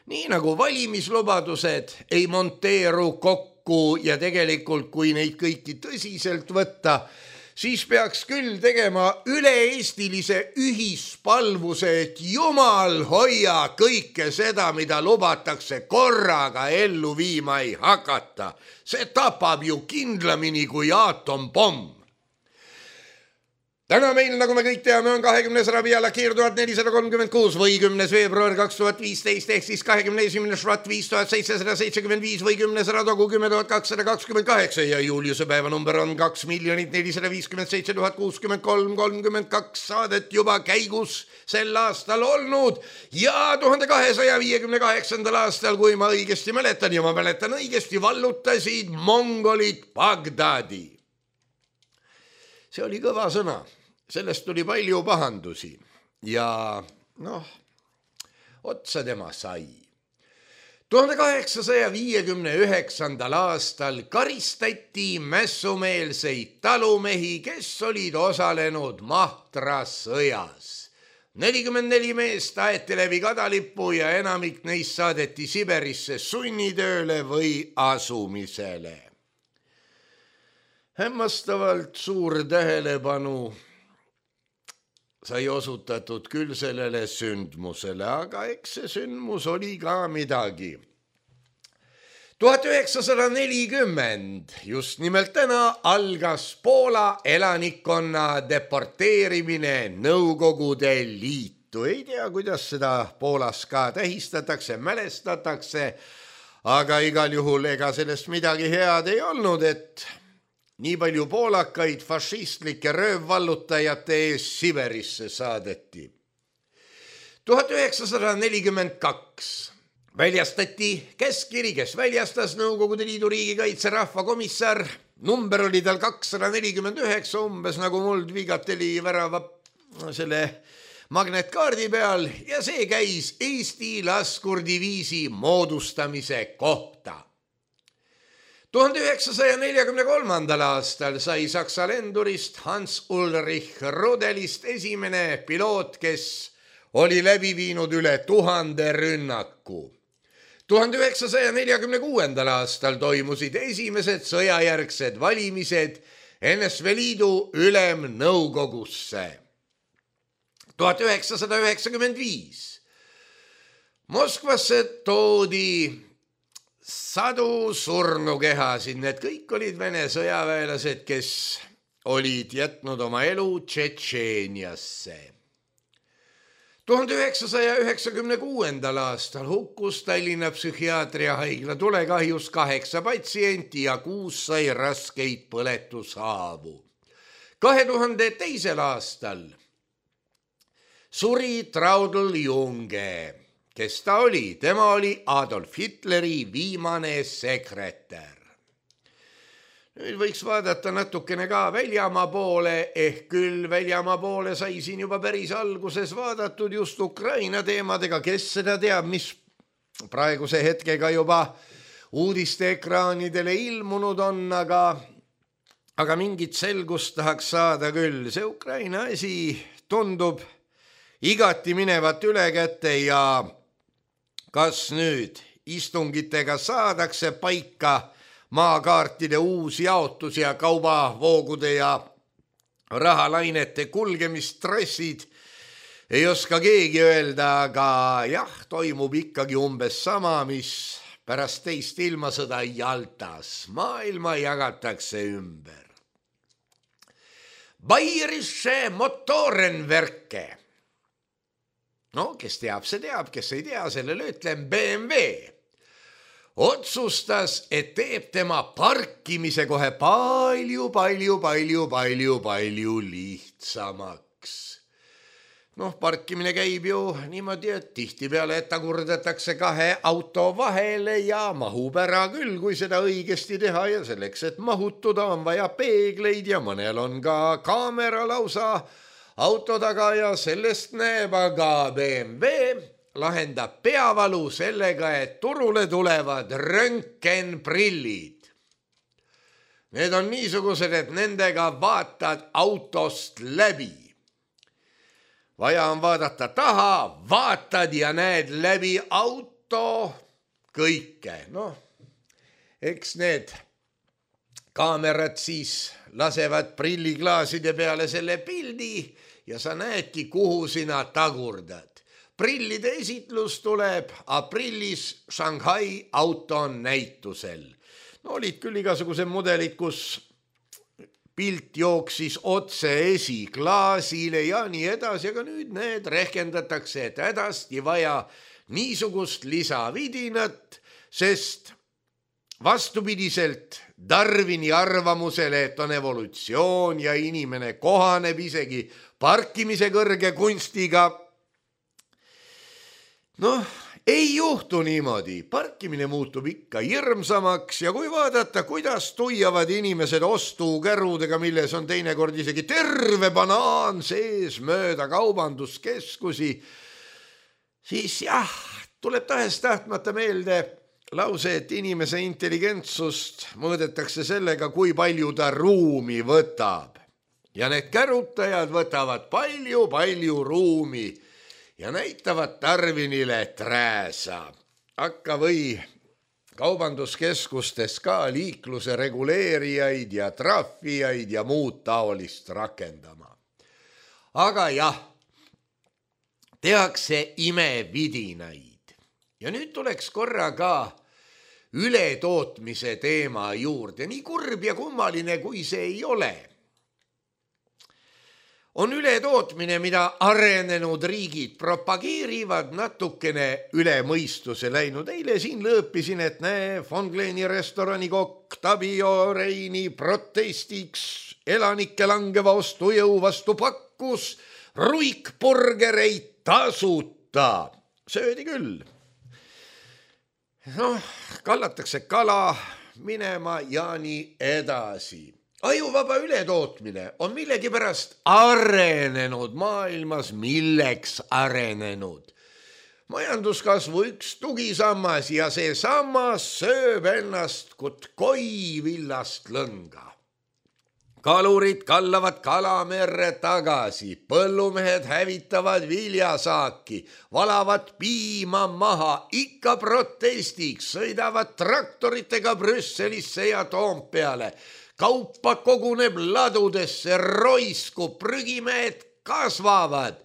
Nii nagu valimislubadused ei monteeru kokku ja tegelikult, kui neid kõiki tõsiselt võtta, siis peaks küll tegema üle-eestilise ühispalvuse, et jumal hoia kõike seda, mida lubatakse korraga ellu viima ei hakata. See tapab ju kindlamini kui aatompomm. Täna meil, nagu me kõik teame, on kahekümnes Rabi'a Lakir tuhat nelisada kolmkümmend kuus või kümnes veebruar kaks tuhat viisteist ehk siis kahekümne esimene Švat viis tuhat seitsesada seitsekümmend viis või kümnes Radogu kümme tuhat kakssada kakskümmend kaheksa ja Juliuse päevanumber on kaks miljonit nelisada viiskümmend seitse tuhat kuuskümmend kolm kolmkümmend kaks saadet juba käigus sel aastal olnud ja tuhande kahesaja viiekümne kaheksandal aastal, kui ma õigesti mäletan ja ma mäletan õigesti, vallutasid mongolid Bagdadi. See oli kõva sõna, sellest tuli palju pahandusi ja noh, otsa tema sai. tuhande kaheksasaja viiekümne üheksandal aastal karistati mässumeelseid talumehi, kes olid osalenud Mahtra sõjas. nelikümmend neli meest aeti läbi kadalippu ja enamik neist saadeti Siberisse sunnitööle või asumisele. Hämmastavalt suur tähelepanu sai osutatud küll sellele sündmusele, aga eks see sündmus oli ka midagi. tuhat üheksasada nelikümmend, just nimelt täna, algas Poola elanikkonna deporteerimine Nõukogude Liitu. Ei tea, kuidas seda Poolas ka tähistatakse, mälestatakse, aga igal juhul ega sellest midagi head ei olnud, et nii palju poolakaid fašistlike röövvallutajate ees Siberisse saadeti. tuhat üheksasada nelikümmend kaks väljastati käskkiri, kes väljastas Nõukogude Liidu riigikaitse rahvakomissar. Number oli tal kakssada nelikümmend üheksa, umbes nagu muld Viigateli värava selle magnetkaardi peal ja see käis Eesti laskurdiviisi moodustamise kohta. tuhande üheksasaja neljakümne kolmandal aastal sai Saksa lendurist Hans Ulrich Rudelist esimene piloot, kes oli läbi viinud üle tuhande rünnaku. tuhande üheksasaja neljakümne kuuendal aastal toimusid esimesed sõjajärgsed valimised N S V Liidu ülemnõukogusse. tuhat üheksasada üheksakümmend viis Moskvasse toodi sadu surnukehasid, need kõik olid Vene sõjaväelased, kes olid jätnud oma elu Tšetšeeniasse. tuhande üheksasaja üheksakümne kuuendal aastal hukkus Tallinna psühhiaatriahaigla tulekahjus kaheksa patsienti ja kuus sai raskeid põletushaavu. kahe tuhande teisel aastal suri Traudl Junge. Kes ta oli? Tema oli Adolf Hitleri viimane sekretär. Nüüd võiks vaadata natukene ka väljamaa poole, ehk küll väljamaa poole sai siin juba päris alguses vaadatud just Ukraina teemadega, kes seda teab, mis praeguse hetkega juba uudiste ekraanidele ilmunud on, aga, aga mingit selgust tahaks saada küll. See Ukraina asi tundub igati minevat üle kätte ja kas nüüd istungitega saadakse paika maakaartide uus jaotus ja kaubavoogude ja rahalainete kulgemistrassid, ei oska keegi öelda, aga jah, toimub ikkagi umbes sama, mis pärast teist ilmasõda Jaltas. Maailma jagatakse ümber. Bayerische Motorenwerke. No, kes teab, see teab, kes ei tea, sellele ütlen B M W. Otsustas, et teeb tema parkimise kohe palju, palju, palju, palju, palju lihtsamaks. Noh, parkimine käib ju niimoodi, et tihtipeale tagurdatakse kahe auto vahele ja mahub ära küll, kui seda õigesti teha ja selleks, et mahutuda, on vaja peegleid ja mõnel on ka kaamera lausa auto taga ja sellest näeb, aga B M W lahendab peavalu sellega, et turule tulevad röntgenprillid. Need on niisugused, et nendega vaatad autost läbi. Vaja on vaadata taha, vaatad ja näed läbi auto kõike. Noh, eks need kaamerad siis lasevad prilliklaaside peale selle pildi ja sa näedki, kuhu sina tagurdad. Prillide esitlus tuleb aprillis Shanghai autonäitusel. No olid küll igasugused mudelid, kus pilt jooksis otse esiklaasile ja nii edasi, aga nüüd need rehkendatakse, et hädasti vaja niisugust lisavidinat, sest vastupidiselt Darwini arvamusele, et on evolutsioon ja inimene kohaneb isegi parkimise kõrge kunstiga. Noh, ei juhtu niimoodi. Parkimine muutub ikka hirmsamaks ja kui vaadata, kuidas tuiavad inimesed ostukärudega, milles on teinekord isegi terve banaan sees mööda kaubanduskeskusi, siis jah, tuleb tahes tahtmata meelde lause, et inimese intelligentsust mõõdetakse sellega, kui palju ta ruumi võtab. Ja need kärutajad võtavad palju-palju ruumi ja näitavad Darwinile trääsa. Hakka või kaubanduskeskustes ka liikluse reguleerijaid ja trahvijaid ja muud taolist rakendama. Aga jah, tehakse imevidinaid. Ja nüüd tuleks korra ka ületootmise teema juurde, nii kurb ja kummaline, kui see ei ole. On ületootmine, mida arenenud riigid propageerivad, natukene üle mõistuse läinud. Eile siin lõõpisin, et näe, Von Gleni restorani kokk Tabio Reini protestiks elanike langeva ostujõu vastu pakkus ruikburgereid tasuta. Söödi küll. Noh, kallatakse kala minema ja nii edasi. Ajuvaba ületootmine on millegipärast arenenud maailmas, milleks arenenud. Majanduskasvu üks tugisammas ja see sammas sööb ennast kut koi villast lõnga. Kalurid kallavad kalamerre tagasi, põllumehed hävitavad viljasaaki, valavad piima maha, ikka protestiks, sõidavad traktoritega Brüsselisse ja Toompeale. Kaupa koguneb ladudesse, roiskub, prügimehed kasvavad,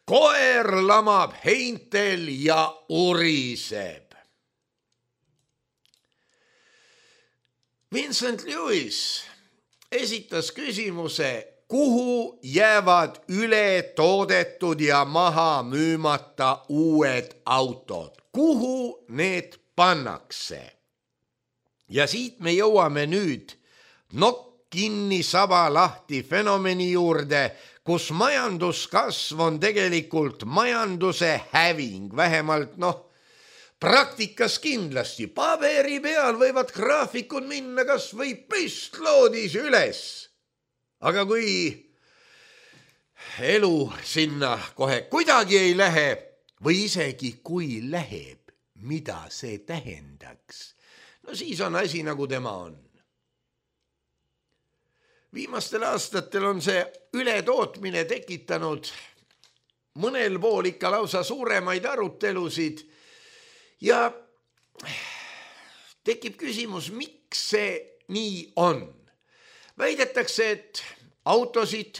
koer lamab heintel ja uriseb. Vincent Lewis esitas küsimuse, kuhu jäävad üle toodetud ja maha müümata uued autod, kuhu need pannakse. Ja siit me jõuame nüüd nokk kinni saba lahti fenomeni juurde, kus majanduskasv on tegelikult majanduse häving, vähemalt noh, praktikas kindlasti. Paberi peal võivad graafikud minna kas või püstloodis üles. Aga kui elu sinna kohe kuidagi ei lähe või isegi kui läheb, mida see tähendaks? No siis on asi nagu tema on. Viimastel aastatel on see ületootmine tekitanud mõnel pool ikka lausa suuremaid arutelusid ja tekib küsimus, miks see nii on. Väidetakse, et autosid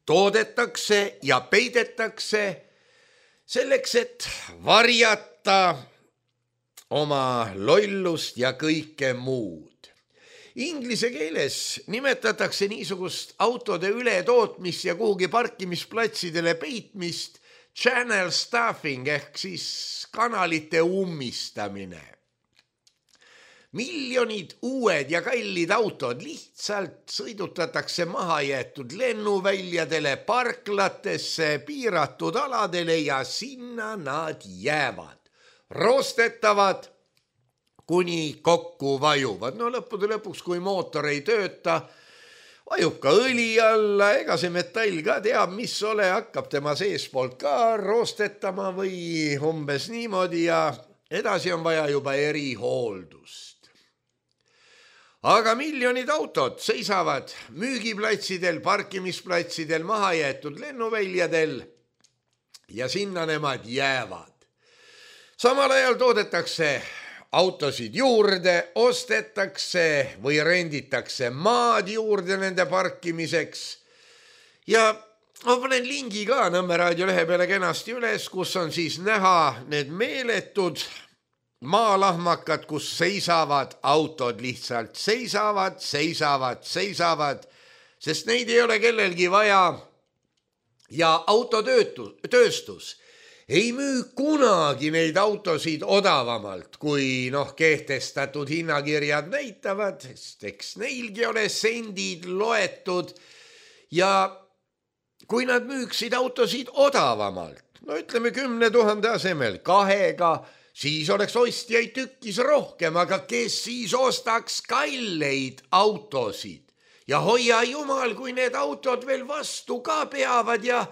toodetakse ja peidetakse selleks, et varjata oma lollust ja kõike muud. Inglise keeles nimetatakse niisugust autode ületootmist ja kuhugi parkimisplatsidele peitmist channel stuffing ehk siis kanalite ummistamine. Miljonid uued ja kallid autod lihtsalt sõidutatakse mahajäetud lennuväljadele, parklatesse, piiratud aladele ja sinna nad jäävad. Roostetavad kuni kokku vajuvad. No lõppude lõpuks, kui mootor ei tööta, vajub ka õli alla, ega see metall ka teab, mis ole, hakkab tema seespoolt ka roostetama või umbes niimoodi ja edasi on vaja juba erihooldust. Aga miljonid autod seisavad müügiplatsidel, parkimisplatsidel, mahajäetud lennuväljadel ja sinna nemad jäävad. Samal ajal toodetakse autosid juurde, ostetakse või renditakse maad juurde nende parkimiseks ja ma panen lingi ka Nõmme raadio lehe peale kenasti üles, kus on siis näha need meeletud maalahmakad, kus seisavad autod, lihtsalt seisavad, seisavad, seisavad, sest neid ei ole kellelgi vaja ja autotööstus ei müü kunagi neid autosid odavamalt, kui noh, kehtestatud hinnakirjad näitavad, sest eks neilgi ole sendid loetud ja kui nad müüksid autosid odavamalt, no ütleme kümne tuhande asemel kahega, siis oleks ostjaid tükkis rohkem, aga kes siis ostaks kalleid autosid ja hoia jumal, kui need autod veel vastu ka peavad ja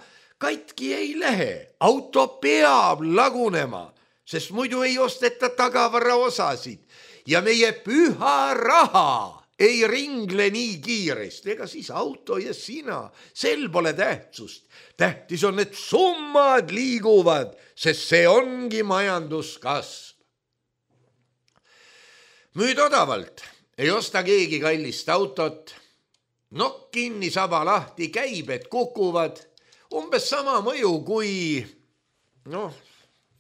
katki ei lähe, auto peab lagunema, sest muidu ei osteta tagavara osasid ja meie püha raha ei ringle nii kiiresti, ega siis auto ja sina, sel pole tähtsust. Tähtis on, et summad liiguvad, sest see ongi majanduskasv. Müüd odavalt, ei osta keegi kallist autot, nokk kinni, saba lahti, käibed kukuvad, umbes sama mõju kui, noh,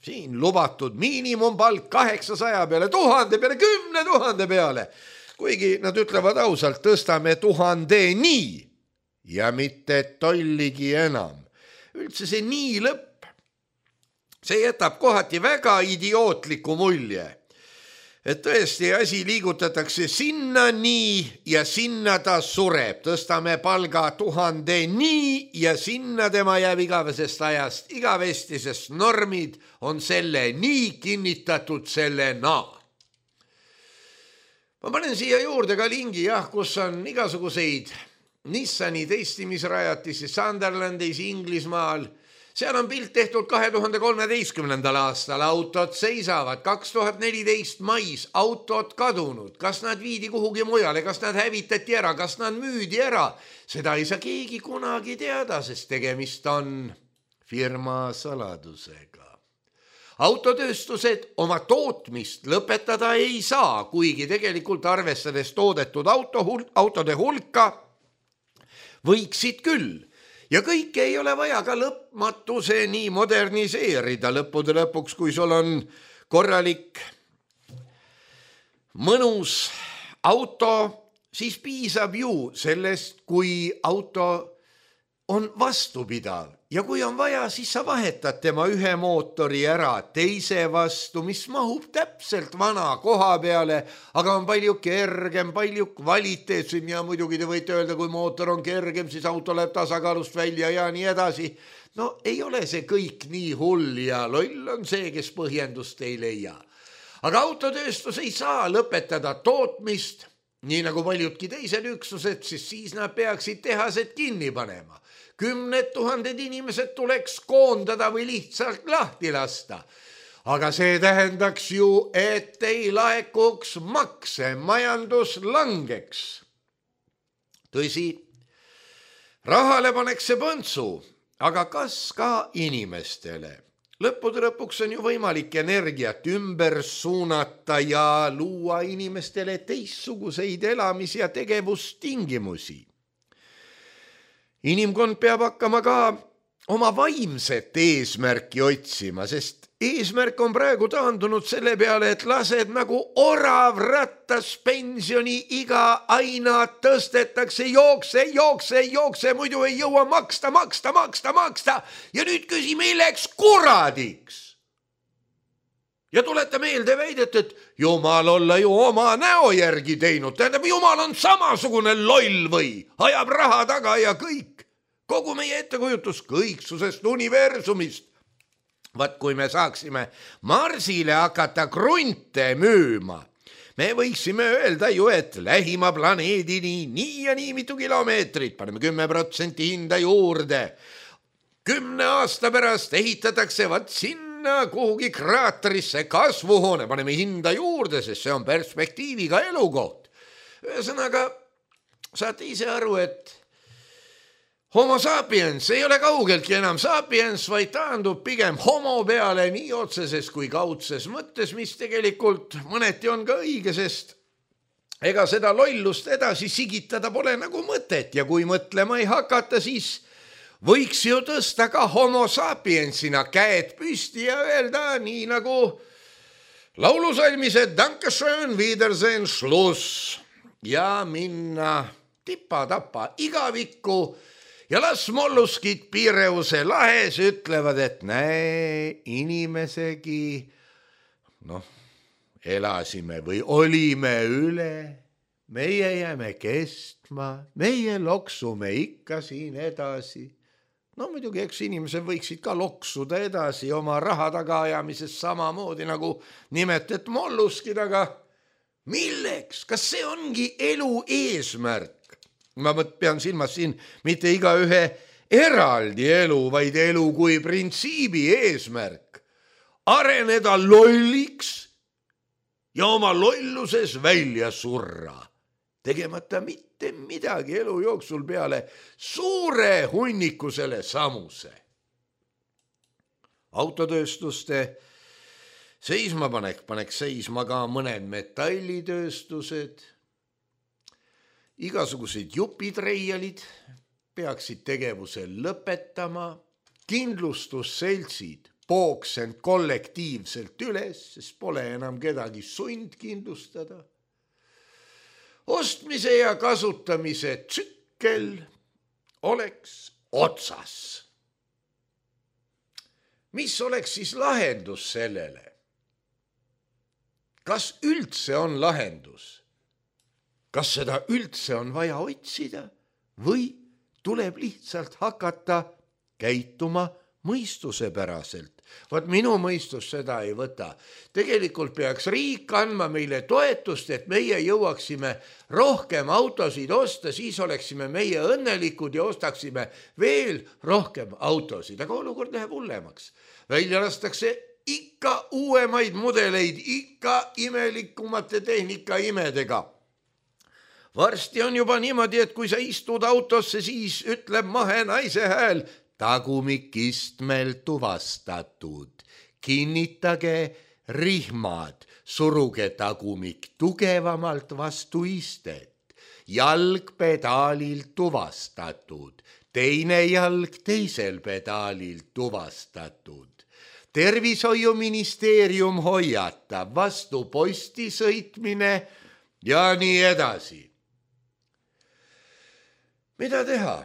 siin lubatud miinimumpalk kaheksasaja peale, tuhande peale, kümne tuhande peale. Kuigi nad ütlevad ausalt, tõstame tuhandeni ja mitte tolligi enam. Üldse see nii lõpp, see jätab kohati väga idiootliku mulje. Et tõesti asi liigutatakse sinna nii ja sinna ta sureb. Tõstame palga tuhandeni ja sinna tema jääb igavesest ajast igavesti, sest normid on selle nii kinnitatud selle naa. Ma panen siia juurde ka lingi, jah, kus on igasuguseid Nissani testimisrajatisi Sunderlandis Inglismaal. Seal on pilt tehtud kahe tuhande kolmeteistkümnendal aastal, autod seisavad, kaks tuhat neliteist mais autod kadunud, kas nad viidi kuhugi mujale, kas nad hävitati ära, kas nad müüdi ära. Seda ei saa keegi kunagi teada, sest tegemist on firma saladusega. Autotööstused oma tootmist lõpetada ei saa, kuigi tegelikult arvestades toodetud auto hul- autode hulka võiksid küll. Ja kõike ei ole vaja ka lõpmatuseni moderniseerida lõppude lõpuks, kui sul on korralik mõnus auto, siis piisab ju sellest, kui auto on vastupidav. Ja kui on vaja, siis sa vahetad tema ühe mootori ära teise vastu, mis mahub täpselt vana koha peale, aga on palju kergem, palju kvaliteetsem ja muidugi te võite öelda, kui mootor on kergem, siis auto läheb tasakaalust välja ja nii edasi. No ei ole see kõik nii hull ja loll on see, kes põhjendust ei leia. Aga autotööstus ei saa lõpetada tootmist, nii nagu paljudki teised üksused, siis siis nad peaksid tehased kinni panema. Kümned tuhanded inimesed tuleks koondada või lihtsalt lahti lasta. Aga see tähendaks ju, et ei laekuks makse, majandus langeks. Tõsi, rahale paneks see põntsu, aga kas ka inimestele? Lõppude lõpuks on ju võimalik energiat ümber suunata ja luua inimestele teistsuguseid elamis- ja tegevustingimusi. Inimkond peab hakkama ka oma vaimset eesmärki otsima, sest eesmärk on praegu taandunud selle peale, et lased nagu orav rattas pensioni iga aina tõstetakse, jookse, jookse, jookse, muidu ei jõua maksta, maksta, maksta, maksta ja nüüd küsi milleks kuradiks. Ja tuleta meelde väidet, et jumal olla ju oma näo järgi teinud, tähendab jumal on samasugune loll või ajab raha taga ja kõik. Kogu meie ettekujutus kõiksusest universumist. Vaat kui me saaksime Marsile hakata krunte müüma, me võiksime öelda ju, et lähima planeedini nii ja nii mitu kilomeetrit, paneme kümme protsenti hinda juurde. Kümne aasta pärast ehitatakse vaat sinna kuhugi kraaterisse kasvuhoone, paneme hinda juurde, sest see on perspektiiviga elukoht. Ühesõnaga, saate ise aru, et Homo sapiens ei ole kaugeltki enam sapiens, vaid taandub pigem homo peale nii otseses kui kaudses mõttes, mis tegelikult mõneti on ka õige, sest ega seda lollust edasi sigitada pole nagu mõtet ja kui mõtlema ei hakata, siis võiks ju tõsta ka homo sapiensina käed püsti ja öelda nii nagu laulusalmis, et Dankeschön, Wiedersehen, Schluss ja minna tipa-tapa igavikku. Ja las molluskid Pireuse lahes ütlevad, et näe, inimesegi, noh, elasime või olime üle, meie jääme kestma, meie loksume ikka siin edasi. No muidugi, eks inimesed võiksid ka loksuda edasi oma raha tagaajamises samamoodi nagu nimetet molluskid, aga milleks? Kas see ongi elu eesmärk? Ma pean silmas siin mitte iga ühe eraldi elu, vaid elu kui printsiibi eesmärk. Areneda lolliks ja oma lolluses välja surra, tegemata mitte midagi elu jooksul peale suure hunnikusele samuse. Autotööstuste seismapanek paneks seisma ka mõned metallitööstused. Igasugused jupitreialid peaksid tegevuse lõpetama, kindlustusseltsid pooks end kollektiivselt üles, sest pole enam kedagi sund kindlustada. Ostmise ja kasutamise tsükkel oleks otsas. Mis oleks siis lahendus sellele? Kas üldse on lahendus? Kas seda üldse on vaja otsida või tuleb lihtsalt hakata käituma mõistusepäraselt? Vaat minu mõistus seda ei võta. Tegelikult peaks riik andma meile toetust, et meie jõuaksime rohkem autosid osta, siis oleksime meie õnnelikud ja ostaksime veel rohkem autosid. Aga olukord läheb hullemaks. Välja lastakse ikka uuemaid mudeleid, ikka imelikumate tehnika imedega. Varsti on juba niimoodi, et kui sa istud autosse, siis ütleb mahe naise hääl, tagumikistmel tuvastatud. Kinnitage rihmad, suruge tagumik tugevamalt vastu istet. Jalg pedaalilt tuvastatud, teine jalg teisel pedaalilt tuvastatud. Tervishoiuministeerium hoiatab, vastu posti sõitmine ja nii edasi. Mida teha?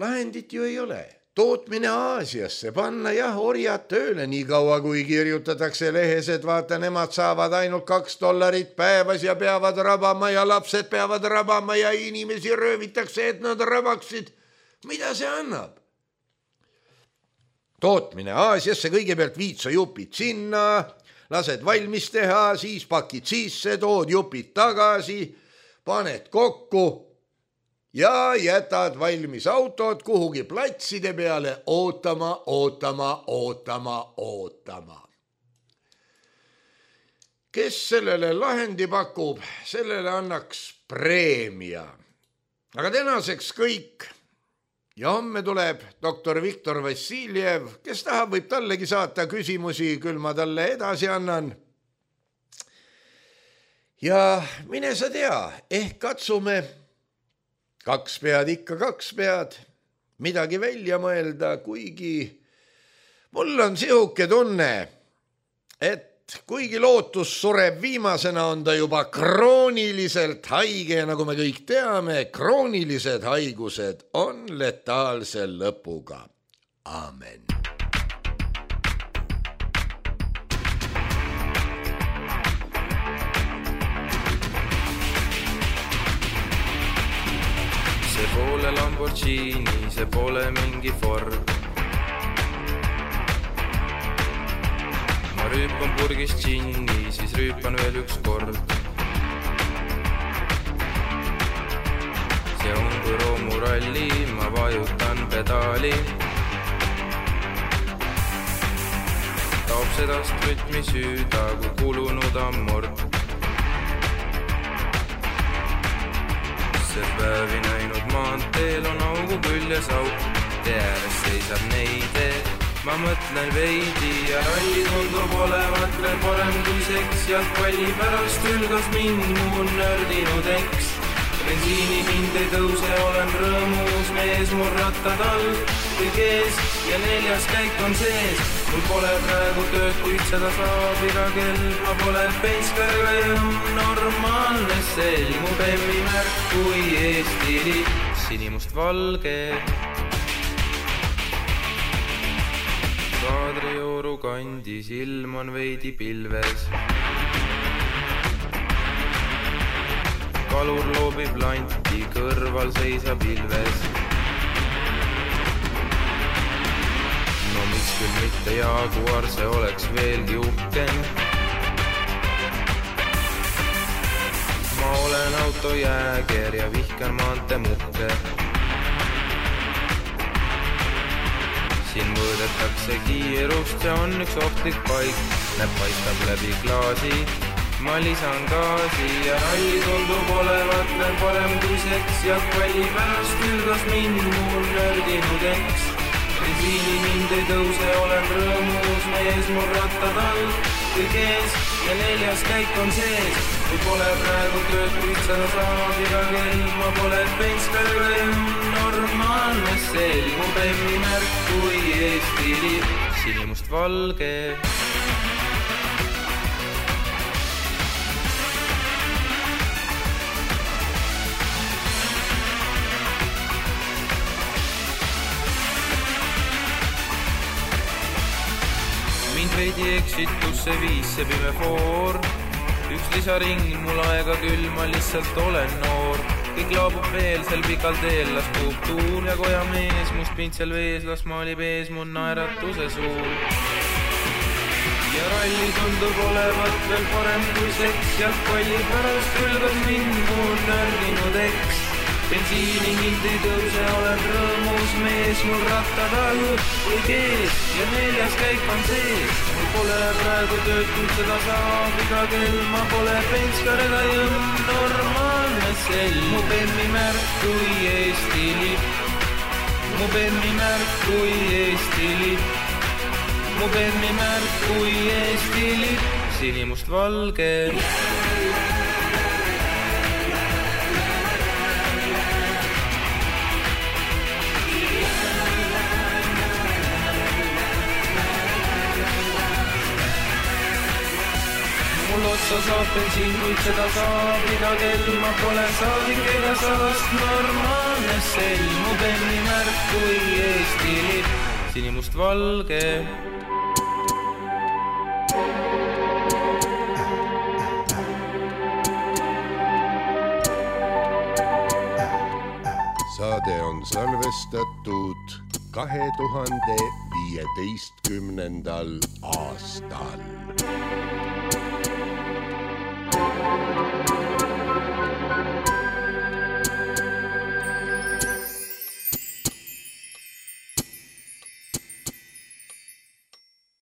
Lahendit ju ei ole. Tootmine Aasiasse, panna jah orjad tööle nii kaua, kui kirjutatakse lehes, et vaata, nemad saavad ainult kaks dollarit päevas ja peavad rabama ja lapsed peavad rabama ja inimesi röövitakse, et nad rabaksid. Mida see annab? Tootmine Aasiasse, kõigepealt viid sa jupid sinna, lased valmis teha, siis pakid sisse, tood jupid tagasi, paned kokku ja jätad valmis autod kuhugi platside peale ootama, ootama, ootama, ootama. Kes sellele lahendi pakub, sellele annaks preemia. Aga tänaseks kõik. Ja homme tuleb doktor Viktor Vassiljev, kes tahab, võib tallegi saata küsimusi, küll ma talle edasi annan. Ja mine sa tea, ehk katsume kaks pead ikka kaks pead, midagi välja mõelda, kuigi mul on sihuke tunne, et kuigi lootus sureb viimasena, on ta juba krooniliselt haige, nagu me kõik teame, kroonilised haigused on letaalse lõpuga. Aamen. See pole Lamborghini, see pole mingi Ford. Ma rüüpan purgist džinni, siis rüüpan veel üks kord. See on kui roomuralli, ma vajutan pedaali. Taob sedast rütmi süüda, kui kulunud ammord. See päevi näinud maanteel on augu küljes auk. Tee ääres seisab neide, ma mõtlen veidi ja ralli tundub olevat veel parem kui seks. Jalgpalli pärast ülgas mind mu nördinud eks. Bensiini hind ei tõuse, olen rõõmus mees, mul rattad all kõik ees ja neljas käik on sees. Mul pole praegu tööd, kuid seda saab iga kell. Ma pole penskar ja normaalne sell. Mu bemmi märk kui Eesti lipp, sinimust valge. Kadrioru kandis ilm on veidi pilves. Kalur loobib lanti, kõrval seisab ilves. No miks küll mitte Jaguar, see oleks veelgi uhkem. Ma olen autojääger ja vihkan maante muhke. siin mõõdetakse kiirust, see on üks ohtlik paik. Näeb paistab läbi klaasi, ma lisan gaasi ja ralli tundub olevat veel parem kui seks. Jalgpalli pärast külgas mind mul nördinud eks. Bensiini mind ei tõuse, olen rõõmus mees, mul rattad all kõik ees ja neljas käik on sees. Kui pole praegu tööd, kuid seda saab iga kell, ma pole penskar, normaalne sel. Mu bemmi märk kui Eesti lipp, sinimust valge. Mind veidi eksitusse viis see pime foor. Üks lisaring, mul aega küll, ma lihtsalt olen noor. Kõik laabub veel, sel pikal teel las puhub tuul ja koja mees, must pintsel vees, las maalib ees mu naeratuse suul. Ja ralli tundub olevat veel parem kui seks, jalgpalli pärast külgas mind mu nördinud eks. Bensiini hind ei tõuse, olen rõõmus mees, mul rattad all kõik ees ja neljas käik on sees. Mul pole praegu tööd, kuid seda saab iga kell, ma pole penskar ega jõmm, normaalne sel. Mu bemmi märk kui Eesti lipp, mu bemmi märk kui Eesti lipp, mu bemmi märk kui Eesti lipp, sinimust valge. Mul otsa saab bensiin, kuid seda saab iga kell, ma pole saadik ega saast, normaalne sel. Mu bemmi märk kui Eesti lipp, sinimust valge. Saade on salvestatud kahe tuhande viieteistkümnendal aastal.